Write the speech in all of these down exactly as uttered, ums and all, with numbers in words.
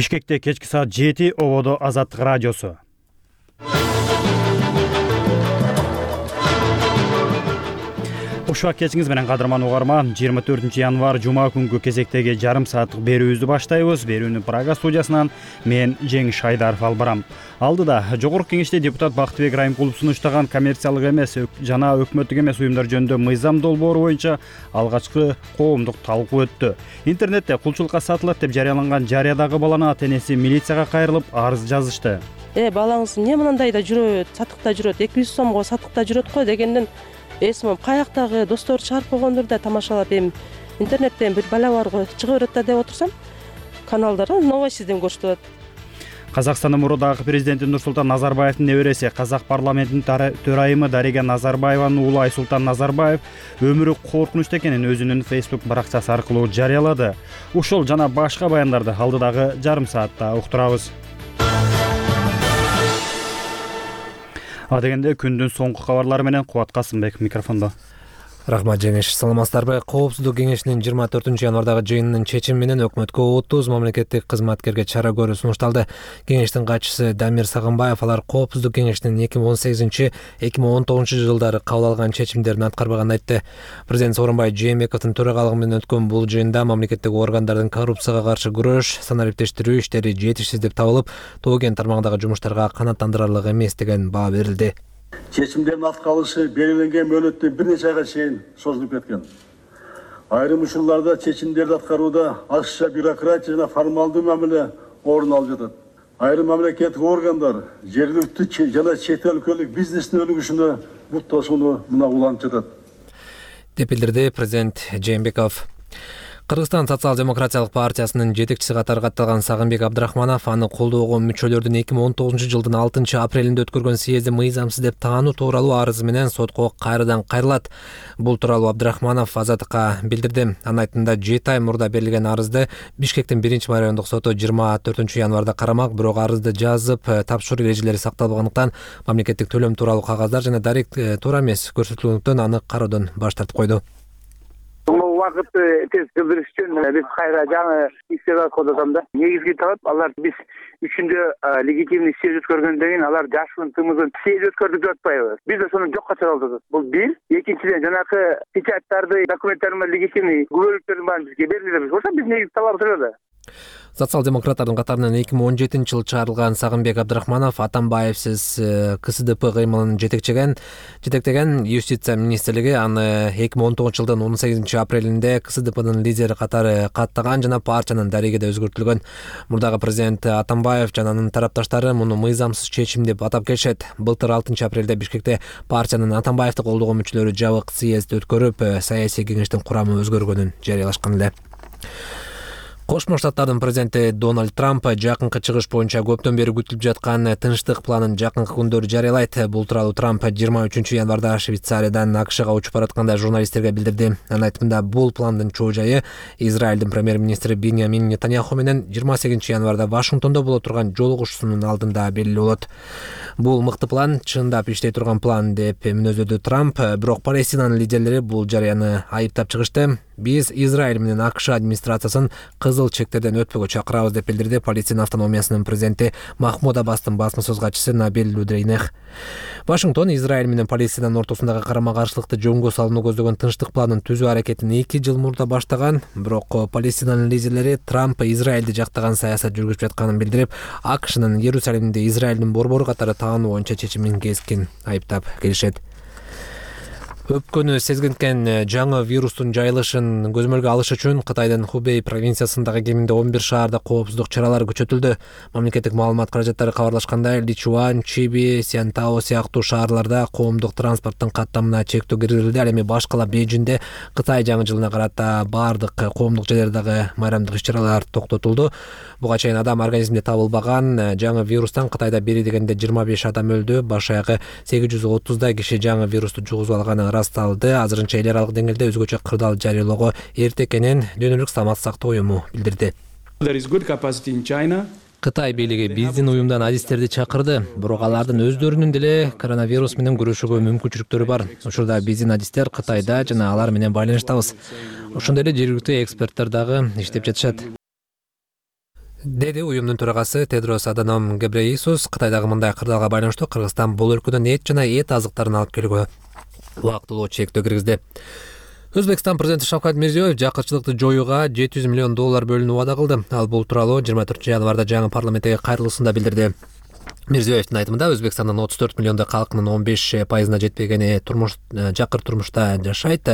Бишкекте кечки саат жети ободо Азаттык радиосу. Ушак кечиңиз менен кадырман угарман, жыйырма төртүнчү январь жума күнгү кезектеги жарым сааттык берүүбүздү баштайбыз. Берүүнү Прага студиясынан мен Жеңиш Айдаров алып барам. Алдыда жогорку кеңеште депутат Бактыбек Райымкулов сунуштаган коммерциялык эмес жана өкмөттүк эмес уюмдар жөнүндө мыйзам долбоору боюнча алгачкы коомдук талкуу өттү. Интернетте кулчулукка сатылат деп жарыяланган жарыядагы баланын ата энеси милицияга кайрылып арыз жазышты. Э балаңыз эмне мындай да жүрөт, сатыкта жүрөт, эки жүз сомго сатыкта жүрөт го дегенден эсимим каяктагы достор чыгарып койгондур да тамашалап, эми интернеттен бир бала бар го чыга берет да деп отурсам, каналдары новостьден көрсөтүп атат. Казакстандын мурдагы президенти Нурсултан Назарбаевдин небереси, Казак парламентинин төрайымы Дарига Назарбаеванын уулу Айсултан Назарбаев өмүрү коркунучта экенин өзүнүн Facebook баракчасы аркылуу жарыялады. Ушул жана башка баяндарды алдыдагы жарым саатта уктурабыз. Адегенде күндүн соңку кабарлары менен Кубат Касымбек микрофондо. Рахмат Жеңиш, саламатсыздарбы? Коопсуздук кеңешинин жыйырма төртүнчү январдагы жыйынынын чечими менен өкмөткө отуз мамлекеттик кызматкерге чара көрүү сунушталды. Кеңештин катчысы Дамир Сагынбаев алар Коопсуздук кеңешинин эки миң он сегизинчи — эки миң он тогузунчу жылдары кабыл алган чечимдерин аткарбаганын айтты. Президент Сооронбай Жээнбековдун төрагалыгы менен өткөн бул жыйында мамлекеттик органдардын коррупцияга каршы күрөш, санариптештирүү иштери жетишсиз деп табылып, тоо кен тармагындагы жумуштарга канааттандырарлык эмес деген баа берилди. Чечимдердин аткарылышы белгиленген мөөнөттөн бир нече айга чейин созулуп кеткен. Айрым учурларда чечимдерди аткарууда ашыкча бюрократия жана формалдуу мамиле орун алып жатат. Айрым мамлекеттик органдар жергиликтүү жана чет өлкөлүк бизнестин өнүгүшүнө бут тосууну мына уланып жатат, деп билдирди президент Жээнбеков. Кыргызстан социал-демократиялык партиясынын жетекчиси катары катталган Сагынбек Абдрахманов аны колдоого мүчөлөрдүн эки миң он тогузунчу жылдын алтынчы апрелинде өткөргөн съезди мыйзамсыз деп таануу тууралуу арызы менен сотко кайрадан кайрылат. Бул тууралуу Абдрахманов Азаттыкка билдирди. Анын айтымында жети ай мурда берилген арызды Бишкектин биринчи райондук соту жыйырма төртүнчү январда карамак, бирок арызды жазып тапшыруу эрежелери сакталбагандыктан мамлекеттик төлөм тууралуу кагаздар жана дарек туура эмес көрсөтүүлөрдөн аны кароодон баш тартып койду. Убакытты тез билдириш үчүн биз кайра жаңы истебак колдосом да. Негизги талап алар биз үчүндө легитимный съезд өткөргөндөн кийин алар жашын тымызын съезд өткөрдүк деп атпайбы? Биз да сону жокко чыгарып атабыз. Бул бир. Экинчиден жанакы печаттарды, документтарды легитимный күбөлүктөрдүн баарын бизге берилип ошо биз негизи талап турат. Социал-демократтардын катарынан эки миң он жетинчи жылы чыгарылган Сагынбек Абдрахманов Атамбаевсиз КСДП кыймылын жетектеген жетектеген Юстиция министрлиги аны эки миң он тогузунчу жылдын он сегизинчи апрелинде КСДПнын лидери катары каттаган жана партиянын дарегиде өзгөртүлгөн. Мурдагы президент Атамбаев жана анын тарапташтары муну мыйзамсыз чечим деп атап келишет. Былтыр алтынчы апрелде Бишкекте партиянын Атамбаевди колдогон мүчөлөрү жабык съезд өткөрүп, саясий кеңештин курамы өзгөргөнүн жарыялашкан эле. Кошмо Штаттардын президенти Дональд Трамп жакынкы чыгыш боюнча көптөн бери күтүлүп жаткан тынчтык планын жакынкы күндөрү жарыялайт. Бул тууралуу Трамп жыйырма үчүнчү январда Швейцариядан АКШга учуп баратканда журналисттерге билдирди. Анын айтымында бул пландын чоо жайы Израилдин премьер-министри Биньямин Нетаньяху менен жыйырма сегизинчи январда Вашингтондо боло турган жолугушуусунун алдында белгилүү болот. Бул мыкты план, чындап иштей турган план деп мүнөздөдү Трамп, бирок Палестинанын лидерлери бул жарыяны айыптап чыгышты. Биз Израиль менен АКШ администрациясын кызыл чектерден өтпөгө чакырабыз деп билдирди Палестина автономиясынын президенти Махмуд Аббастын басма сөз катчысы Набил Лудрейнех. Вашингтон Израиль менен Палестинанын ортосундагы карама-каршылыкты жөнгө салууну көздөгөн тынчтык планын түзүү аракетин эки жыл мурда баштаган, бирок Палестинанын лидерлери Трамп Израилди жактаган саясат жүргүзүп жатканын билдирип, АКШнын Иерусалимде Израилдин борбору катары таануу боюнча чечимин кескин айыптап келишет. Өпкөнү сезгинткен жаңы вирустун жайылышын көзөмөлгө алыш үчүн Кытайдын Хубей провинциясындагы кеминде он бир шаарда коопсуздук чаралары күчөтүлдү. Мамлекеттик маалымат каражаттары кабарлашкандай, Личуан, Чиби, Сянтао сыяктуу шаарларда коомдук транспорттун каттамына чектөө киргизилди. Ал эми башкала Бейжиңде Кытай жаңы жылына карата баардык коомдук жерлердеги майрамдык иш-чаралар токтотулду. Буга чейин адам организминде табылбаган жаңы вирустан Кытайда бери дегенде жыйырма беш адам өлдү. Баш аягы сегиз жүз отуздай киши жаңы вирусту жугузуп алганы расталды. Азырынча эл аралык деңгээлде өзгөчө кырдаал жарыялоого эрте экенин Дүйнөлүк саламат сактоо уюму билдирди. Кытай бийлиги биздин уюмдан адистерди чакырды, бирок алардын өздөрүнүн деле коронавирус менен күрөшүүгө мүмкүнчүлүктөрү бар. Учурда биздин адистер Кытайда жана алар менен байланыштабыз. Ошондой эле жергиликтүү эксперттер дагы иштеп жатышат. деди уюмдун төрагасы Тедрос Аданом Гебрейесус. Кытайдагы мындай кырдаалга байланыштуу Кыргызстан бул өлкөдөн эт жана эт азыктарын алып келүүгө убактылуу чектөө киргизди. Өзбекстан президенти Шавкат Мирзиёев жакырчылыкты жоюуга жети жүз миллион доллар бөлүүнү вада кылды. Ал бул тууралуу жыйырма төртүнчү январда жаңы парламенттеги кайрылуусунда билдирди. Мирзиёевдин айтымында Өзбекстандын отуз төрт миллиондой калкынын он беш пайызына жетпегени турмуш жакыр турмушта жашайт.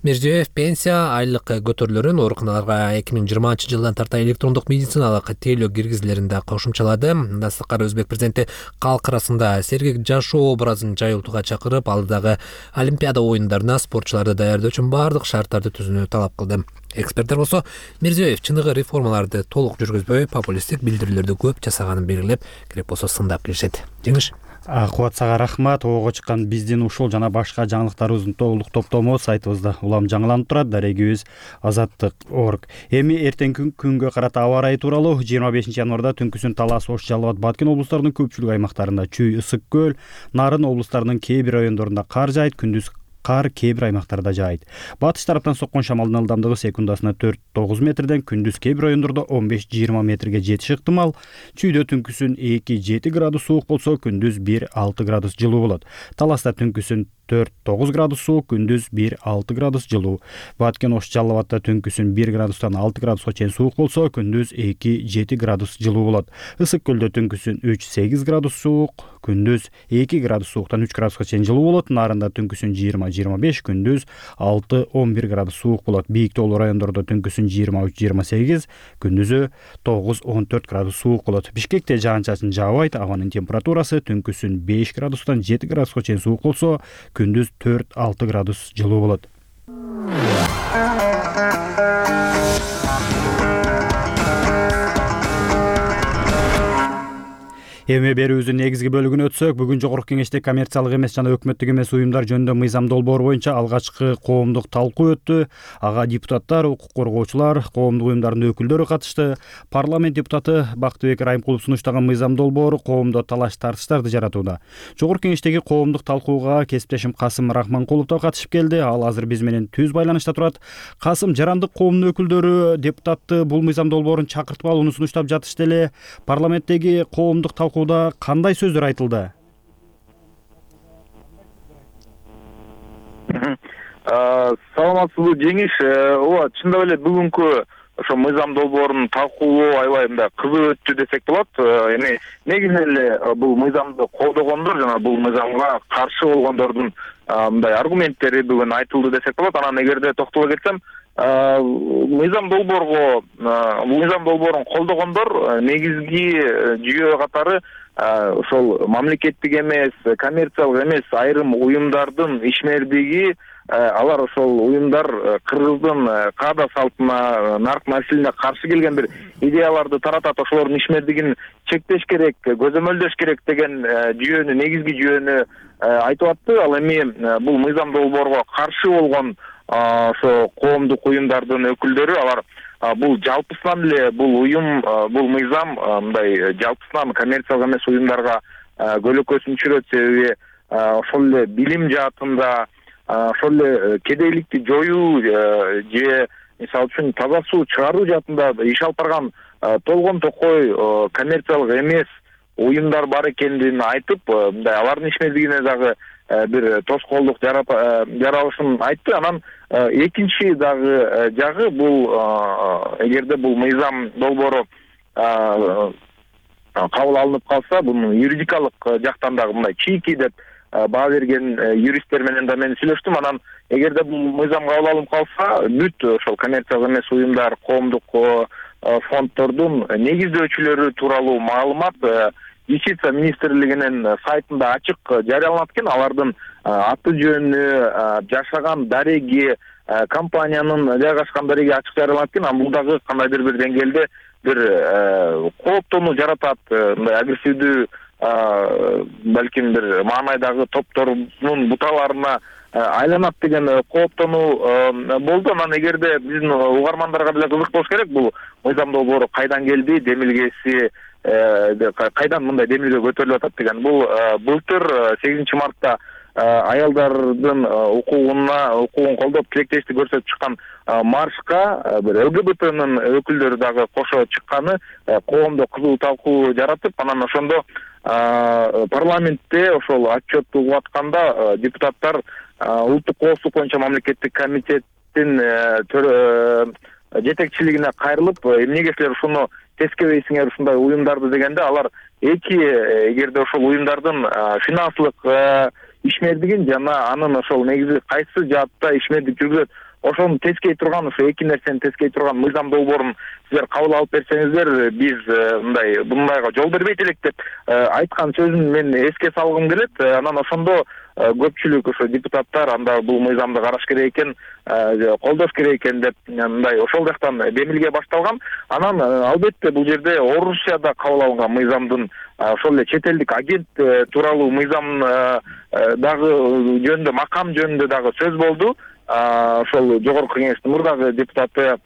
Мирзиёев пенсия, айлык көтөрүлөрүн, ооруканаларга эки миң жыйырманчы жылдан тарта электрондук медициналык тейлөө киргизилерин да кошумчалады. Мындан сырткары Өзбек президенти калк арасында сергек жашоо образын жайылтууга чакырып, алдыдагы Олимпиада оюндарына спортчуларды даярдоо үчүн бардык шарттарды түзүүнү талап кылды. Эксперттер болсо Мирзиёев чыныгы реформаларды толук жүргүзбөй, популисттик билдирүүлөрдү көп жасаганын белгилеп, керек болсо сындап келишет. Жеңиш. Кубат сага рахмат. Ого чыккан биздин ушул жана башка жаңылыктарыбыздын толук топтому сайтыбызда улам жаңыланып турат. Дарегибиз азаттык точка орг. Эми эртеңки күнгө карата аба ырайы тууралуу жыйырма бешинчи январда түнкүсүн Талас, Ош, Жалал абад, Баткен облустарынын көпчүлүк аймактарында, Чүй, Ысык көл, Нарын облустарынын кээ бир райондорунда кар жаайт, күндүз кар кээ бир аймактарда жаайт. Батыш тараптан соккон шамалдын ылдамдыгы секундасына төрт тогуз метрден, күндүз кээ бир райондордо он беш жыйырма метрге жетиши ыктымал. Чүйдө түнкүсүн эки жети градус суук болсо, күндүз бир алты градус жылуу болот. Таласта түнкүсүн төрт тогуз градус суук, күндүз бир алты градус жылуу. Баткен, Ош, Жалал абадта түнкүсүн бир градустан алты градуска чейин суук болсо, күндүз эки жети градус жылуу болот. Ысык көлдө түнкүсүн үч сегиз градус суук, күндүз эки градус сууктан үч градуска чейин жылуу болот. Нарында түнкүсүн жыйырма жыйырма беш, күндүз алты он бир градус суук болот. Бийик тоолуу райондордо түнкүсүн жыйырма үч жыйырма сегиз, күндүзү тогуз он төрт градус суук болот. Бишкекте жаан-чачын жаабайт. Абанын температурасы түнкүсүн беш градустан жети градуска чейин суук болсо, күндүз төрт алты градус жылуу болот. Эми берүүбүздүн негизги бөлүгүнө өтсөк, бүгүн Жогорку Кеңеште коммерциялык эмес жана өкмөттүк эмес уюмдар жөнүндө мыйзам долбоору боюнча алгачкы коомдук талкуу өттү. Ага депутаттар, укук коргоочулар, коомдук уюмдардын өкүлдөрү катышты. Парламент депутаты Бактыбек Райымкулов сунуштаган мыйзам долбоору коомдо талаш-тартыштарды жаратууда. Жогорку Кеңештеги коомдук талкууга кесиптешим Касым Рахманкулов да катышып келди. Ал азыр биз менен түз байланышта турат. Касым, жарандык коомдун өкүлдөрү депутатты бул мыйзам долбоорун чакыртып алууну сунуштап жатышты эле. Парламенттеги коомдук талкуу кандай сөздөр айтылды? Саламатсызбы, Жеңиш. Ооба, чындап эле бүгүнкү ошо мыйзам долбоорунун талкуулоо аябай мындай кызуу өттү десек болот. Эми негизинен эле бул мыйзамды колдогондор жана бул мыйзамга каршы болгондордун мындай аргументтери бүгүн айтылды десек болот. Анан эгерде токтоло кетсем, мыйзам долбоорго мыйзам долбоорун колдогондор негизги жүйө катары ошол мамлекеттик эмес, коммерциялык эмес айрым уюмдардын ишмердиги, алар ошол уюмдар Кыргыздын каада салтына, нарк маселесине каршы келген бир идеяларды таратат, ошолордун ишмердигин чектеш керек, көзөмөлдөш керек деген жүйөнү, негизги жүйөнү айтып атты. Ал эми бул мыйзам долбоорго каршы болгон ошо коомдук уюмдардын өкүлдөрү, алар бул жалпысынан эле бул уюм, бул мыйзам мындай жалпысынан коммерциялык эмес уюмдарга көлөкөсүн түшүрөт, себеби ошол эле билим жаатында, ошол эле кедейликти жоюу же мисалы үчүн таза суу чыгаруу жаатында иш алып барган толгон токой коммерциялык эмес уюмдар бар экендигин айтып, мындай алардын ишмердигине дагы бир тоскоолдук жаралышын айтты. Анан экинчи дагы жагы бул эгерде бул мыйзам долбоору кабыл алынып калса, бунун юридикалык жактан дагы мындай чийки деп баа берген юристтер менен да мен сүйлөштүм. Анан эгерде бул мыйзам кабыл алынып калса, бүт ошол коммерциялык эмес уюмдар, коомдук фонддордун негиздөөчүлөрү тууралуу маалымат Юстиция министрлигинин сайтында ачык жарыяланат экен. Алардын аты жөнү, жашаган дареги, компаниянын жайгашкан дареги ачык жарыяланат экен. Анан бул дагы кандайдыр бир деңгээлде бир кооптоону жаратат, мындай агрессивдүү, балким бир маанайдагы топтордун буталарына айланат деген кооптонуу болду. Анан эгерде биздин угармандарга деле кызык болуш керек, бул мыйзам долбоору кайдан келди, демилгеси кайдан мындай демилге көтөрүлүп атат деген. Бул былтыр сегизинчи мартта аялдардын укугуна укугун колдоп тилектештик көрсөтүп чыккан маршка бир ЛГБТнын өкүлдөрү дагы кошо чыкканы коомдо кызуу талкуу жаратып, анан ошондо парламентте ошол отчет угуп атканда депутаттар улуттук коопсуздук боюнча мамлекеттик комитеттин жетекчилигине кайрылып, эмнеге силер ушуну тескебейсиңер ушундай уюмдарды дегенде, алар эки эгерде ошол уюмдардын финансылык ишмердигин жана анын ошол негизи кайсы жаатта ишмердик жүргүзөт, ошону тескей турган, ошо эки нерсени тескей турган мыйзам долбоорун силер кабыл алып берсеңиздер, биз мындай мындайга жол бербейт элек деп айткан сөзүн мен эске салгым келет. Анан ошондо көпчүлүк ошо депутаттар анда бул мыйзамды караш керек экен, колдош керек экен деп мындай ошол жактан демилге башталган. Анан албетте бул жерде Орусияда кабыл алынган мыйзамдын, ошол эле чет элдик агент тууралуу мыйзам дагы жөнүндө, макам жөнүндө дагы сөз болду. Ошол жогорку кеңештин мурдагы депутаты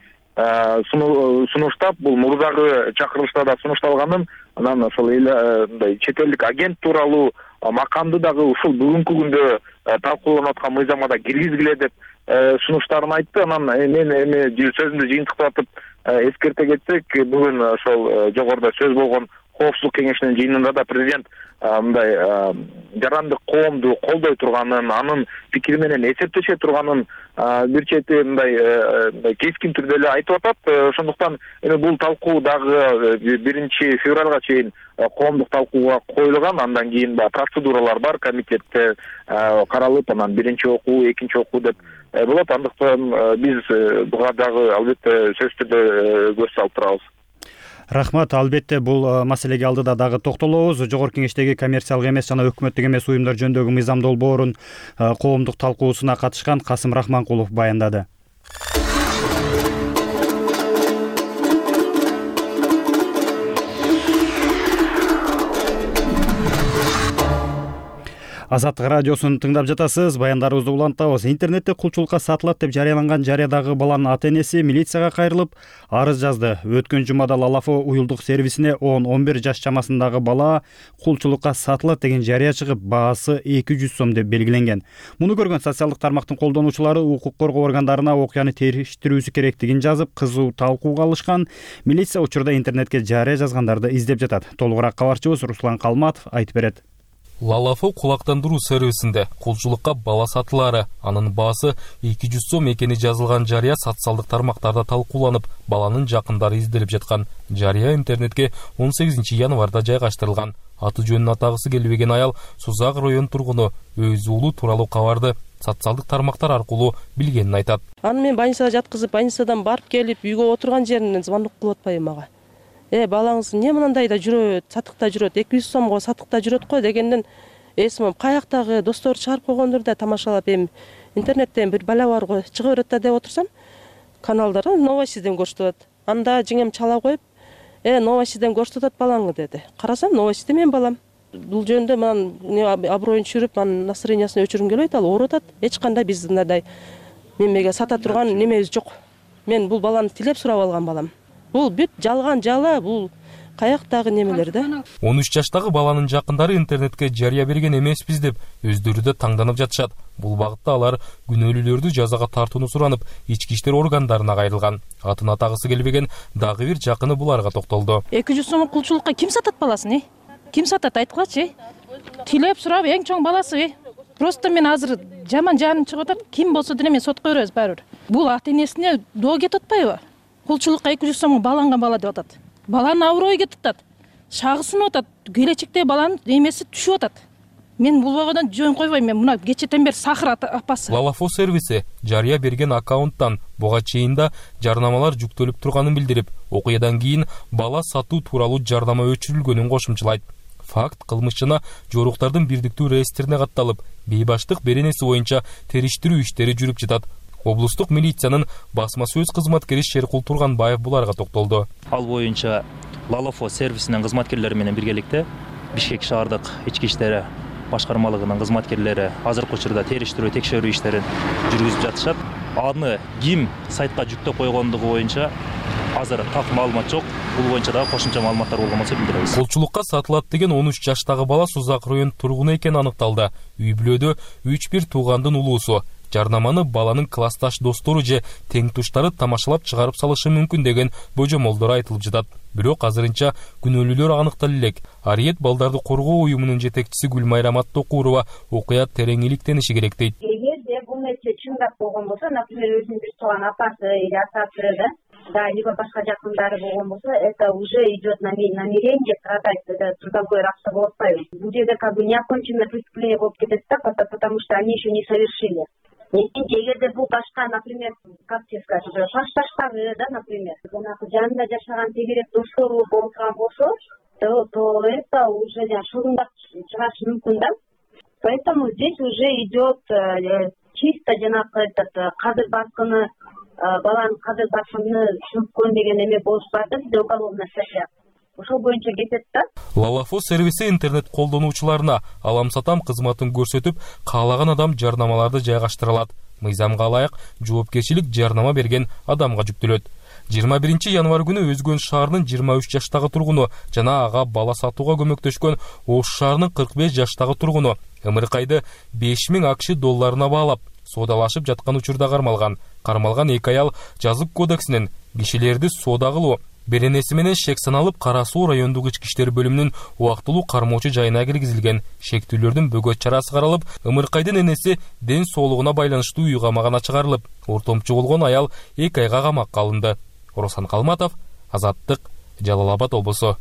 сунуштап, бул мурдагы чакырылышта да сунушталганын, анан ошол мындай чет элдик агент тууралуу макамды дагы ушул бүгүнкү күндө талкууланып аткан мыйзамга да киргизгиле деп сунуштарын айтты. Анан мен эми сөзүмдү жыйынтыктатып эскерте кетсек, бүгүн ошол жогоруда сөз болгон коопсуздук кеңешинин жыйынында да президент мындай жарандык коомду колдой турганын, анын пикири менен эсептеше турганын бир чети мындай кескин түрдө эле айтып атат. Ошондуктан эми бул талкуу дагы биринчи февралга чейин коомдук талкууга коюлган. Андан кийин да процедуралар бар, комитетте каралып, анан биринчи окуу, экинчи окуу деп болот. Андыктан биз буга дагы албетте сөзсүз түрдө көз салып турабыз. Рахмат. Албетте бул маселеге алдыда дагы токтолобуз. Жогорку кеңештеги коммерциялык эмес жана өкмөттүк эмес уюмдар жөнүндөгү мыйзам долбоорун коомдук талкуусуна катышкан Касым Рахманкулов баяндады. Азаттык радиосун тыңдап жатасыз. Баяндарыбызды улантабыз. Интернетте кулчулукка сатылат деп жарыяланган жарыядагы баланын ата-энеси милицияга кайрылып, арыз жазды. Өткөн жумада Лалафо уюлдук сервисине он он бир жаш чамасындагы бала кулчулукка сатылат деген жарыя чыгып, баасы эки жүз сом деп белгиленген. Муну көргөн социалдык тармактын колдонуучулары укук коргоо органдарына окуяны териштирүүсү керектигин жазып, кызуу талкууга алышкан. Милиция учурда интернетке жарыя жазгандарды издеп жатат. Толугураак кабарчыбыз Руслан Калматов айтып берет. Лалафо кулактандыруу сервисинде кулчулукка бала сатылары, анын баасы эки жүз сом экени жазылган жарыя социалдык тармактарда талкууланып, баланын жакындары изделип жаткан. Жарыя интернетке он сегизинчи январда жайгаштырылган. Аты жөнүн атагысы келбеген аял Сузак район тургуну өз уулу тууралуу кабарды социалдык тармактар аркылуу билгенин айтат. Аны мен больницага жаткызып, больницадан барып келип, үйгө отурган жеринен звонок кылып атпайбы мага. Э, балаңыз эмне мындай да жүрөт, сатыкта жүрөт, эки жүз сомго сатыкта жүрөт го дегенден эсимим каяктагы достор чыгарып койгондур да тамашалап, эми интернеттен бир бала бар го, чыга берет да деп отурсам, каналдарда новостиден көрсөтөт. Анда жеңем чала коюп, э, новостиден көрсөтөт балаңы деди. Карасам, новостиде мен балам. Бул жөнүндө мен аброюн түшүрүп, анын настроениясын өчүргүм келбейт, ал ооруп атат. Эч кандай биздин мындай мемеге сата турган немебиз жок. Мен бул баланы тилеп сурап алган балам. Бул бүт жалган жала, бул каяктагы немелер да. он үч жаштагы баланын жакындары интернетке жарыя берген эмеспиз деп өздөрү да таңданып жатышат. Бул багытта алар күнөөлүүлөрдү жазага тартууну суранып, ички иштер органдарына кайрылган. Атын атагысы келбеген дагы бир жакыны буларга токтолду. эки жүз сом кулчулукка ким сатат баласын, э? Ким сатат айткылачы? Тилеп сурап эң чоң баласы, э? Просто мен азыр жаман жаным чыгып атат. Ким болсо деле мен сотко беребиз баары бир. Бул ата-энесине доо кетип атпайбы? Кулчулукка эки жүз сомго баланган бала деп атат. Баланын аброю кетип атат. Шагысынып атат. Келечекте баланын эмеси түшүп атат. Мен бул багадан жөн койбойм. Мен мына кечетен бери Сахыр апасы. Лалафо сервиси жарыя берген аккаунттан буга чейин да жарнамалар жүктөлүп турганын билдирип, окуядан кийин бала сатуу тууралуу жарнама өчүрүлгөнүн кошумчалайт. Факт кылмышчына жоруктардын бирдиктүү реестрине катталып, бейбаштык беренеси боюнча териштирүү иштери жүрүп жатат. Облустук милициянын басма сөз кызматкери Шеркул Турганбаев буларга токтолду. Ал боюнча Лалафо сервисинин кызматкерлери менен биргеликте Бишкек шаардык ички иштери башкармалыгынын кызматкерлери азыркы учурда териштирүү текшерүү иштерин жүргүзүп жатышат. Аны ким сайтка жүктөп койгондугу боюнча азыр так маалымат жок. Бул боюнча дагы кошумча маалыматтар болгон болсо билдиребиз. Кулчулукка сатылат деген он үч жаштагы бала Сузак район тургуну экени аныкталды. Үй бүлөдө үч бир туугандын улуусу жарнаманы баланын классташ достору же тең туштары тамашалап чыгарып салышы мүмкүн деген божомолдор айтылып жатат. Бирок азырынча күнөөлүүлөр аныктала элек. Ариет балдарды коргоо уюмунун жетекчиси Гүлмайра Маттокурова окуя терең иликтениши керек дейт. Эгерде бул нерсе чындап болгон болсо, например, өзүнүн бир тууган апасы или атасы да, да, либо башка жакындары болгон болсо, это уже идет намерение продать, это трудовой рабство болуп атпайбы. Бул жерде как бы неоконченное преступление болуп кетет да, потому что они еще не совершили. Эгерде бул башка, например, как тебе сказать, классташтары, да, например, жанагы жанында жашаган тегерек достору болуп турган болсо, то, то это уже шылыңдап чыгашы мүмкүн да. Поэтому здесь уже идет чисто жанагы этот кадыр баскыны, баланын кадыр баскыны мүмкүн деген эме болуп барды, бизде уголовная статья. Ошол боюнча кетет да. Лалафо сервиси интернет колдонуучуларына алам-сатам кызматын көрсөтүп, каалаган адам жарнамаларды жайгаштыра алат. Мыйзамга ылайык жоопкерчилик жарнама берген адамга жүктөлөт. жыйырма биринчи январь күнү Өзгөн шаарынын жыйырма үч жаштагы тургуну жана ага бала сатууга көмөктөшкөн Ош шаарынын кырк беш жаштагы тургуну ымыркайды беш миң акш долларына баалап соодалашып жаткан учурда кармалган. Кармалган эки аял жазык кодексинин кишилерди соода кылуу беренеси менен шек саналып Кара Суу райондук ички иштер бөлүмүнүн убактылуу кармоочу жайына киргизилген. Шектүүлөрдүн бөгөт чарасы каралып, ымыркайдын энеси ден соолугуна байланыштуу үй камагына чыгарылып, ортомчу болгон аял эки айга камакка алынды. Оросан Калматов, Азаттык, Жалал Абад облусу.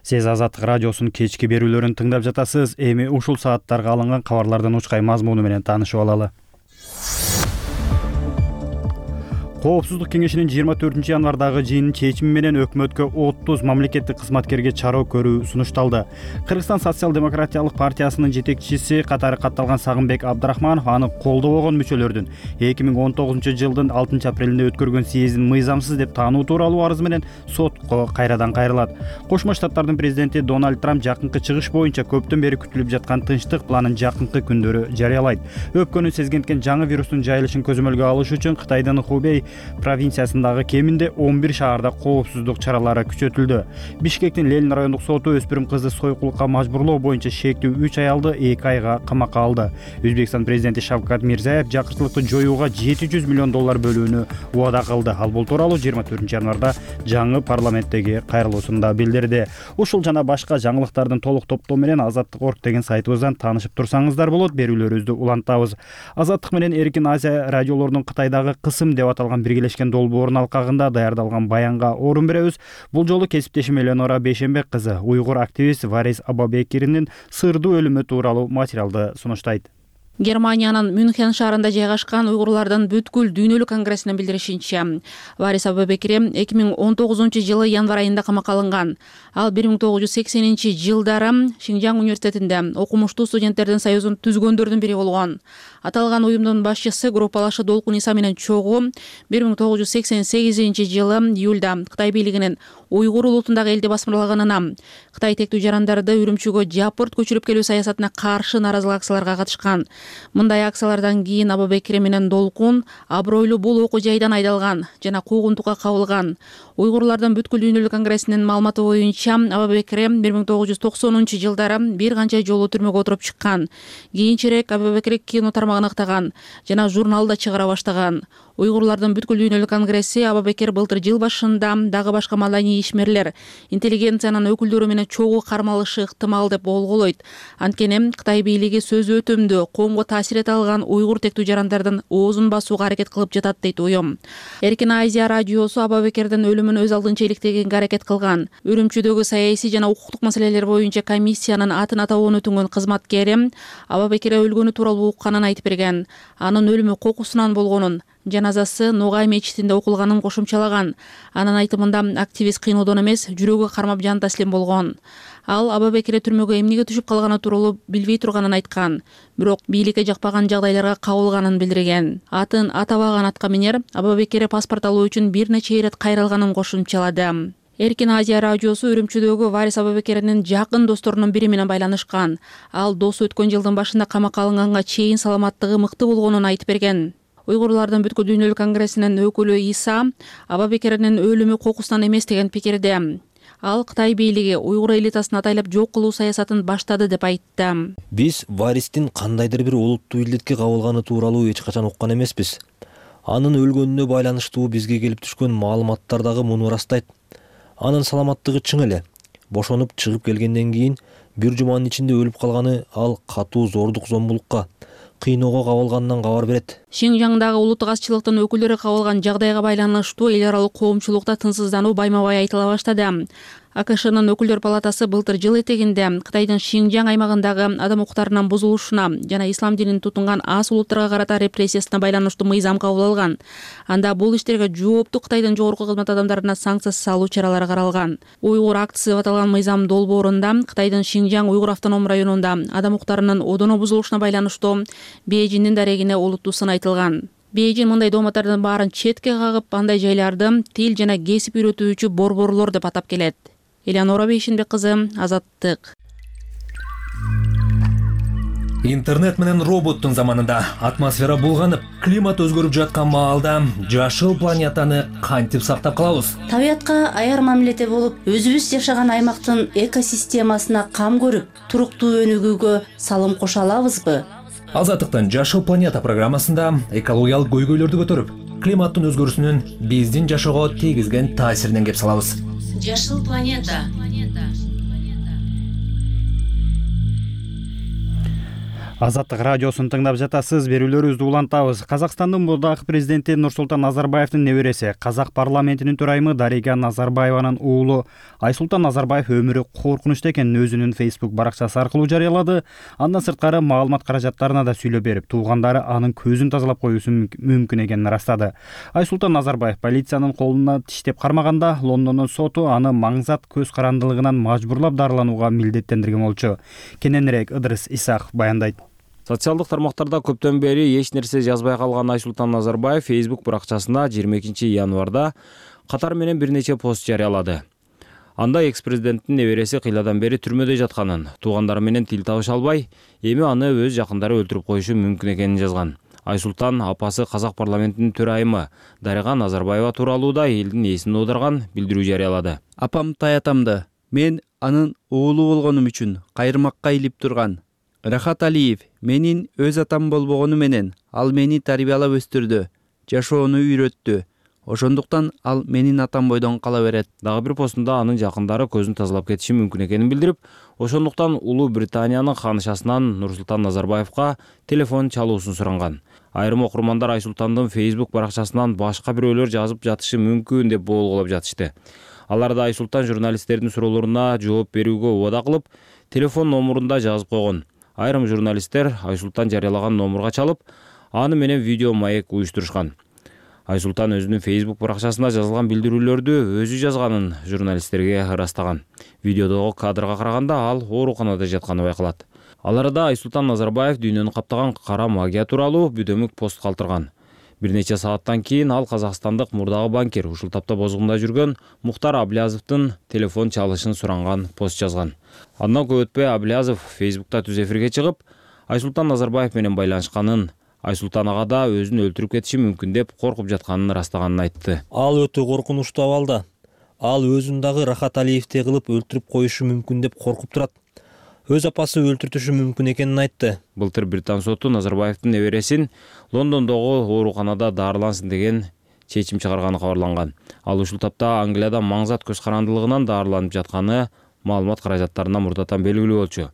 Сиз Азаттык радиосунун кечки берүүлөрүн тыңдап жатасыз. Эми ушул сааттарга алынган кабарлардын учкай мазмуну менен таанышып алалы. Коопсуздук кеңешинин жыйырма төртүнчү январдагы жыйынын чечими менен өкмөткө отуз мамлекеттик кызматкерге чароо көрүү сунушталды. Кыргызстан социал-демократиялык партиясынын жетекчиси катары катталган Сагынбек Абдрахманов аны колдобогон мүчөлөрдүн эки миң он тогузунчу жылдын алтынчы апрелинде өткөргөн съездин мыйзамсыз деп таануу тууралуу арызы менен сотко кайрадан кайрылат. Кошмо Штаттардын президенти Дональд Трамп жакынкы чыгыш боюнча көптөн бери күтүлүп жаткан тынчтык планын жакынкы күндөрү жарыялайт. Өпкөнү сезгенткен жаңы вирустун жайылышын көзөмөлгө алыш үчүн Кытайдын Хубей провинциясындагы кеминде он бир шаарда коопсуздук чаралары күчөтүлдү. Бишкектин Ленин райондук соту өспүрүм кызды сойкулукка мажбурлоо боюнча шектүү үч аялды эки айга камакка алды. Өзбекстан президенти Шавкат Мирзиёев жакыртчылыкты жоюуга жети жүз миллион доллар бөлүүнү убада кылды. Ал бул тууралуу жыйырма төртүнчү январда жаңы парламенттеги кайрылуусунда билдирди. Ушул жана башка жаңылыктардын толук топтоо менен азаттык точка орг деген сайтыбыздан таанышып турсаңыздар болот. Берүүлөрүбүздү улантабыз. Азаттык менен Эркин Азия радиолорунун Кытайдагы кысым деп аталган биргелешкен долбоорунун алкагында даярдалган баянга орун беребиз. Бул жолу кесиптешим Эленора Бейшенбек кызы уйгур активист Варис Абабекиринин сырдуу өлүмү тууралуу материалды сунуштайт. Германиянын Мюнхен шаарында жайгашкан уйгурлардын бүткүл дүйнөлүк конгрессинин билдиришинче, Варис Абабекир эки миң он тогузунчу жылы январь айында камакка алынган. Ал бир миң тогуз жүз сексенинчи жылдары Шинжаң университетинде окумуштуу студенттердин союзун түзгөндөрдүн бири болгон. Аталган уюмдун башчысы группалашы Долкун Иса менен чогуу бир миң тогуз жүз сексен сегизинчи жылы июлда Кытай бийлигинин уйгур улутундагы элди басмырлаганына, Кытай тектүү жарандарды Үрүмчүгө жапырт көчүрүп келүү саясатына каршы нааразылык акцияларга катышкан. Мындай акциялардан кийин Абабекир менен Долкун абройлуу бул окуу жайдан айдалган жана куугунтукка кабылган. Уйгурлардын бүткүл дүйнөлүк конгрессинин маалыматы боюнча Абабекир бир миң тогуз жүз токсонунчу жылдары бир канча жолу түрмөгө отуруп чыккан. Кийинчерээк Абабекир кино тармагын ыктаган жана журналда чыгара баштаган. Уйгурлардын бүткүл дүйнөлүк конгресси Абабекир былтыр жыл башында дагы башка маданий ишмерлер, интеллигенциянын өкүлдөрү менен чогуу кармалышы ыктымал деп болголойт. Анткени Кытай бийлиги сөз өтүмдүү, коомго таасир эте алган уйгур тектүү жарандардын оозун басууга аракет кылып жатат дейт уюм. Эркин Азия радиосу Абабекирдин өлүмүн өз алдынча иликтегенге аракет кылган. Үрүмчүдөгү саясий жана укуктук маселелер боюнча комиссиянын атын атауын өтүнгөн кызматкери Абабекир өлгөнү тууралуу укканын айтып берген. Анын өлүмү кокусунан болгонун, жаназасы Ногай мечитинде окулганын кошумчалаган. Анын айтымында активист кыйноодон эмес, жүрөгү кармап жан таслим болгон. Ал Абабекир түрмөгө эмнеге түшүп калганы тууралуу билбей турганын айткан, бирок бийликке жакпаган жагдайларга кабылганын билдирген. Атын атабаган атка минер Абабекир паспорт алуу үчүн бир нече ирет кайрылганын кошумчалады. Эркин Азия радиосу Үрүмчүдөгү Варис Абабекирдин жакын досторунун бири менен байланышкан. Ал досу өткөн жылдын башында камакка алынганга чейин саламаттыгы мыкты болгонун айтып берген. Уйгурлардын бүткүл дүйнөлүк конгрессинин өкүлү Иса Абабекирдин өлүмү кокусунан эмес деген пикирде. Ал Кытай бийлиги уйгур элитасын атайлап жок кылуу саясатын баштады деп айтты. Биз варистин кандайдыр бир олуттуу илдетке кабылганы тууралуу эч качан уккан эмеспиз. Анын өлгөнүнө байланыштуу бизге келип түшкөн маалыматтар дагы муну ырастайт. Анын саламаттыгы чың эле. Бошонуп чыгып келгенден кийин бир жуманын ичинде өлүп калганы ал катуу зордук зомбулукка, кыйноого кабылганынан кабар берет. Шинжаңдагы улуттук азчылыктын өкүлдөрү кабылган жагдайга байланыштуу эл аралык коомчулукта тынчсыздануу байма-бай айтыла баштады. АКШнын өкүлдөр палатасы былтыр жыл этегинде Кытайдын Шинжаң аймагындагы адам укуктарынын бузулушуна жана ислам динин тутунган аз улуттарга карата репрессиясына байланыштуу мыйзам кабыл алган. Анда бул иштерге жооптуу Кытайдын жогорку кызмат адамдарына санкция салуу чаралары каралган. Уйгур актысы деп аталган мыйзам долбоорунда Кытайдын Шинжаң уйгур автоном районунда адам укуктарынын одоно бузулушуна байланыштуу Бейжиңдин дарегине олуттуу сын айтылган. Бейжиң мындай дооматтардын баарын четке кагып, андай жайларды тил жана кесип үйрөтүүчү борборлор деп атап келет. Элеонора Бейшенбек кызы, Азаттык. Интернет менен роботтун заманында атмосфера булганып, климат өзгөрүп жаткан маалда жашыл планетаны кантип сактап калабыз? Табиятка аяр мамиледе болуп, өзүбүз жашаган аймактын экосистемасына кам көрүп, туруктуу өнүгүүгө салым кошо алабызбы? Азаттыктын Жашыл планета программасында экологиялык көйгөйлөрдү көтөрүп, климаттын өзгөрүүсүнүн биздин жашоого тийгизген таасиринен кеп салабыз. Жашыл планета. Азаттык радиосун тыңдап жатасыз. Берүүлөрүбүздү улантабыз. Казакстандын мурдагы президенти Нурсултан Назарбаевдин небереси, Казак парламентинин төрайымы Дарига Назарбаеванын уулу Айсултан Назарбаев өмүрү коркунучта экенин өзүнүн Facebook баракчасы аркылуу жарыялады. Андан сырткары маалымат каражаттарына да сүйлөп берип, туугандары анын көзүн тазалап коюусу мүмкүн экенин ырастады. Айсултан Назарбаев полициянын колуна тиштеп кармаганда Лондондун соту аны маңзат көз карандылыгынан мажбурлап дарыланууга милдеттендирген болчу. Кененирээк Ыдырыс Исаков баяндайт. Социалдык тармактарда көптөн бери эч нерсе жазбай калган Айсултан Назарбаев Facebook баракчасына жыйырма экинчи январда катар менен бир нече пост жарыялады. Анда экс-президенттин небереси кыйладан бери түрмөдө жатканын, туугандары менен тил табыша албай, эми аны өз жакындары өлтүрүп коюшу мүмкүн экенин жазган. Айсултан апасы Казак парламентинин төрайымы Дарига Назарбаева тууралуу да элдин эсин оодарган билдирүү жарыялады. Апам таятамды, мен анын уулу болгонум үчүн кайрымакка илип турган. Рахат Алиев менин өз атам болбогону менен ал мени тарбиялап өстүрдү, жашоону үйрөттү. Ошондуктан ал менин атам бойдон кала берет. Дагы бир постунда анын жакындары көзүн тазалап кетиши мүмкүн экенин билдирип, ошондуктан Улуу Британиянын ханышасынан Нурсултан Назарбаевка телефон чалуусун суранган. Айрым окурмандар Айсултандын Facebook баракчасынан башка бирөөлөр жазып жатышы мүмкүн деп болгулап жатышты. Алар да Айсултан журналисттердин суроолоруна жооп берүүгө убада кылып, телефон номурунда жазып койгон. Айрым журналисттер Айсултан жарыялаган номурга чалып, аны менен видео маек уюштурушкан. Айсултан өзүнүн Facebook баракчасына жазылган билдирүүлөрдү өзү жазганын журналисттерге ырастаган. Видеодогу кадрга караганда ал ооруканада жатканы байкалат. Аларда Айсултан Назарбаев дүйнөнү каптаган кара магия тууралуу бүдөмүк пост калтырган. Бир нече сааттан кийин ал казакстандык мурдагы банкир, ушул тапта бозгунда жүргөн Мухтар Аблязовдун телефон чалышын суранган пост жазган. Андан көп өтпөй Аблязов Facebook'та түз эфирге чыгып, Айсултан Назарбаев менен байланышканын, Айсултан ага да өзүн өлтүрүп кетиши мүмкүн деп коркуп жатканын ырастаганын айтты. Ал өтө коркунучтуу абалда. Ал өзүн дагы Рахат Алиевти кылып өлтүрүп коюшу мүмкүн деп коркуп турат. Өз апасы өлтүртүшү мүмкүн экенин айтты. Былтыр Британ соту Назарбаевдин небересин Лондондогу ооруканада дарылансын деген чечим чыгарганы кабарланган. Ал ушул тапта Англияда маңзат көз карандылыгынан дарыланып жатканы маалымат каражаттарына мурдатан белгилүү болчу.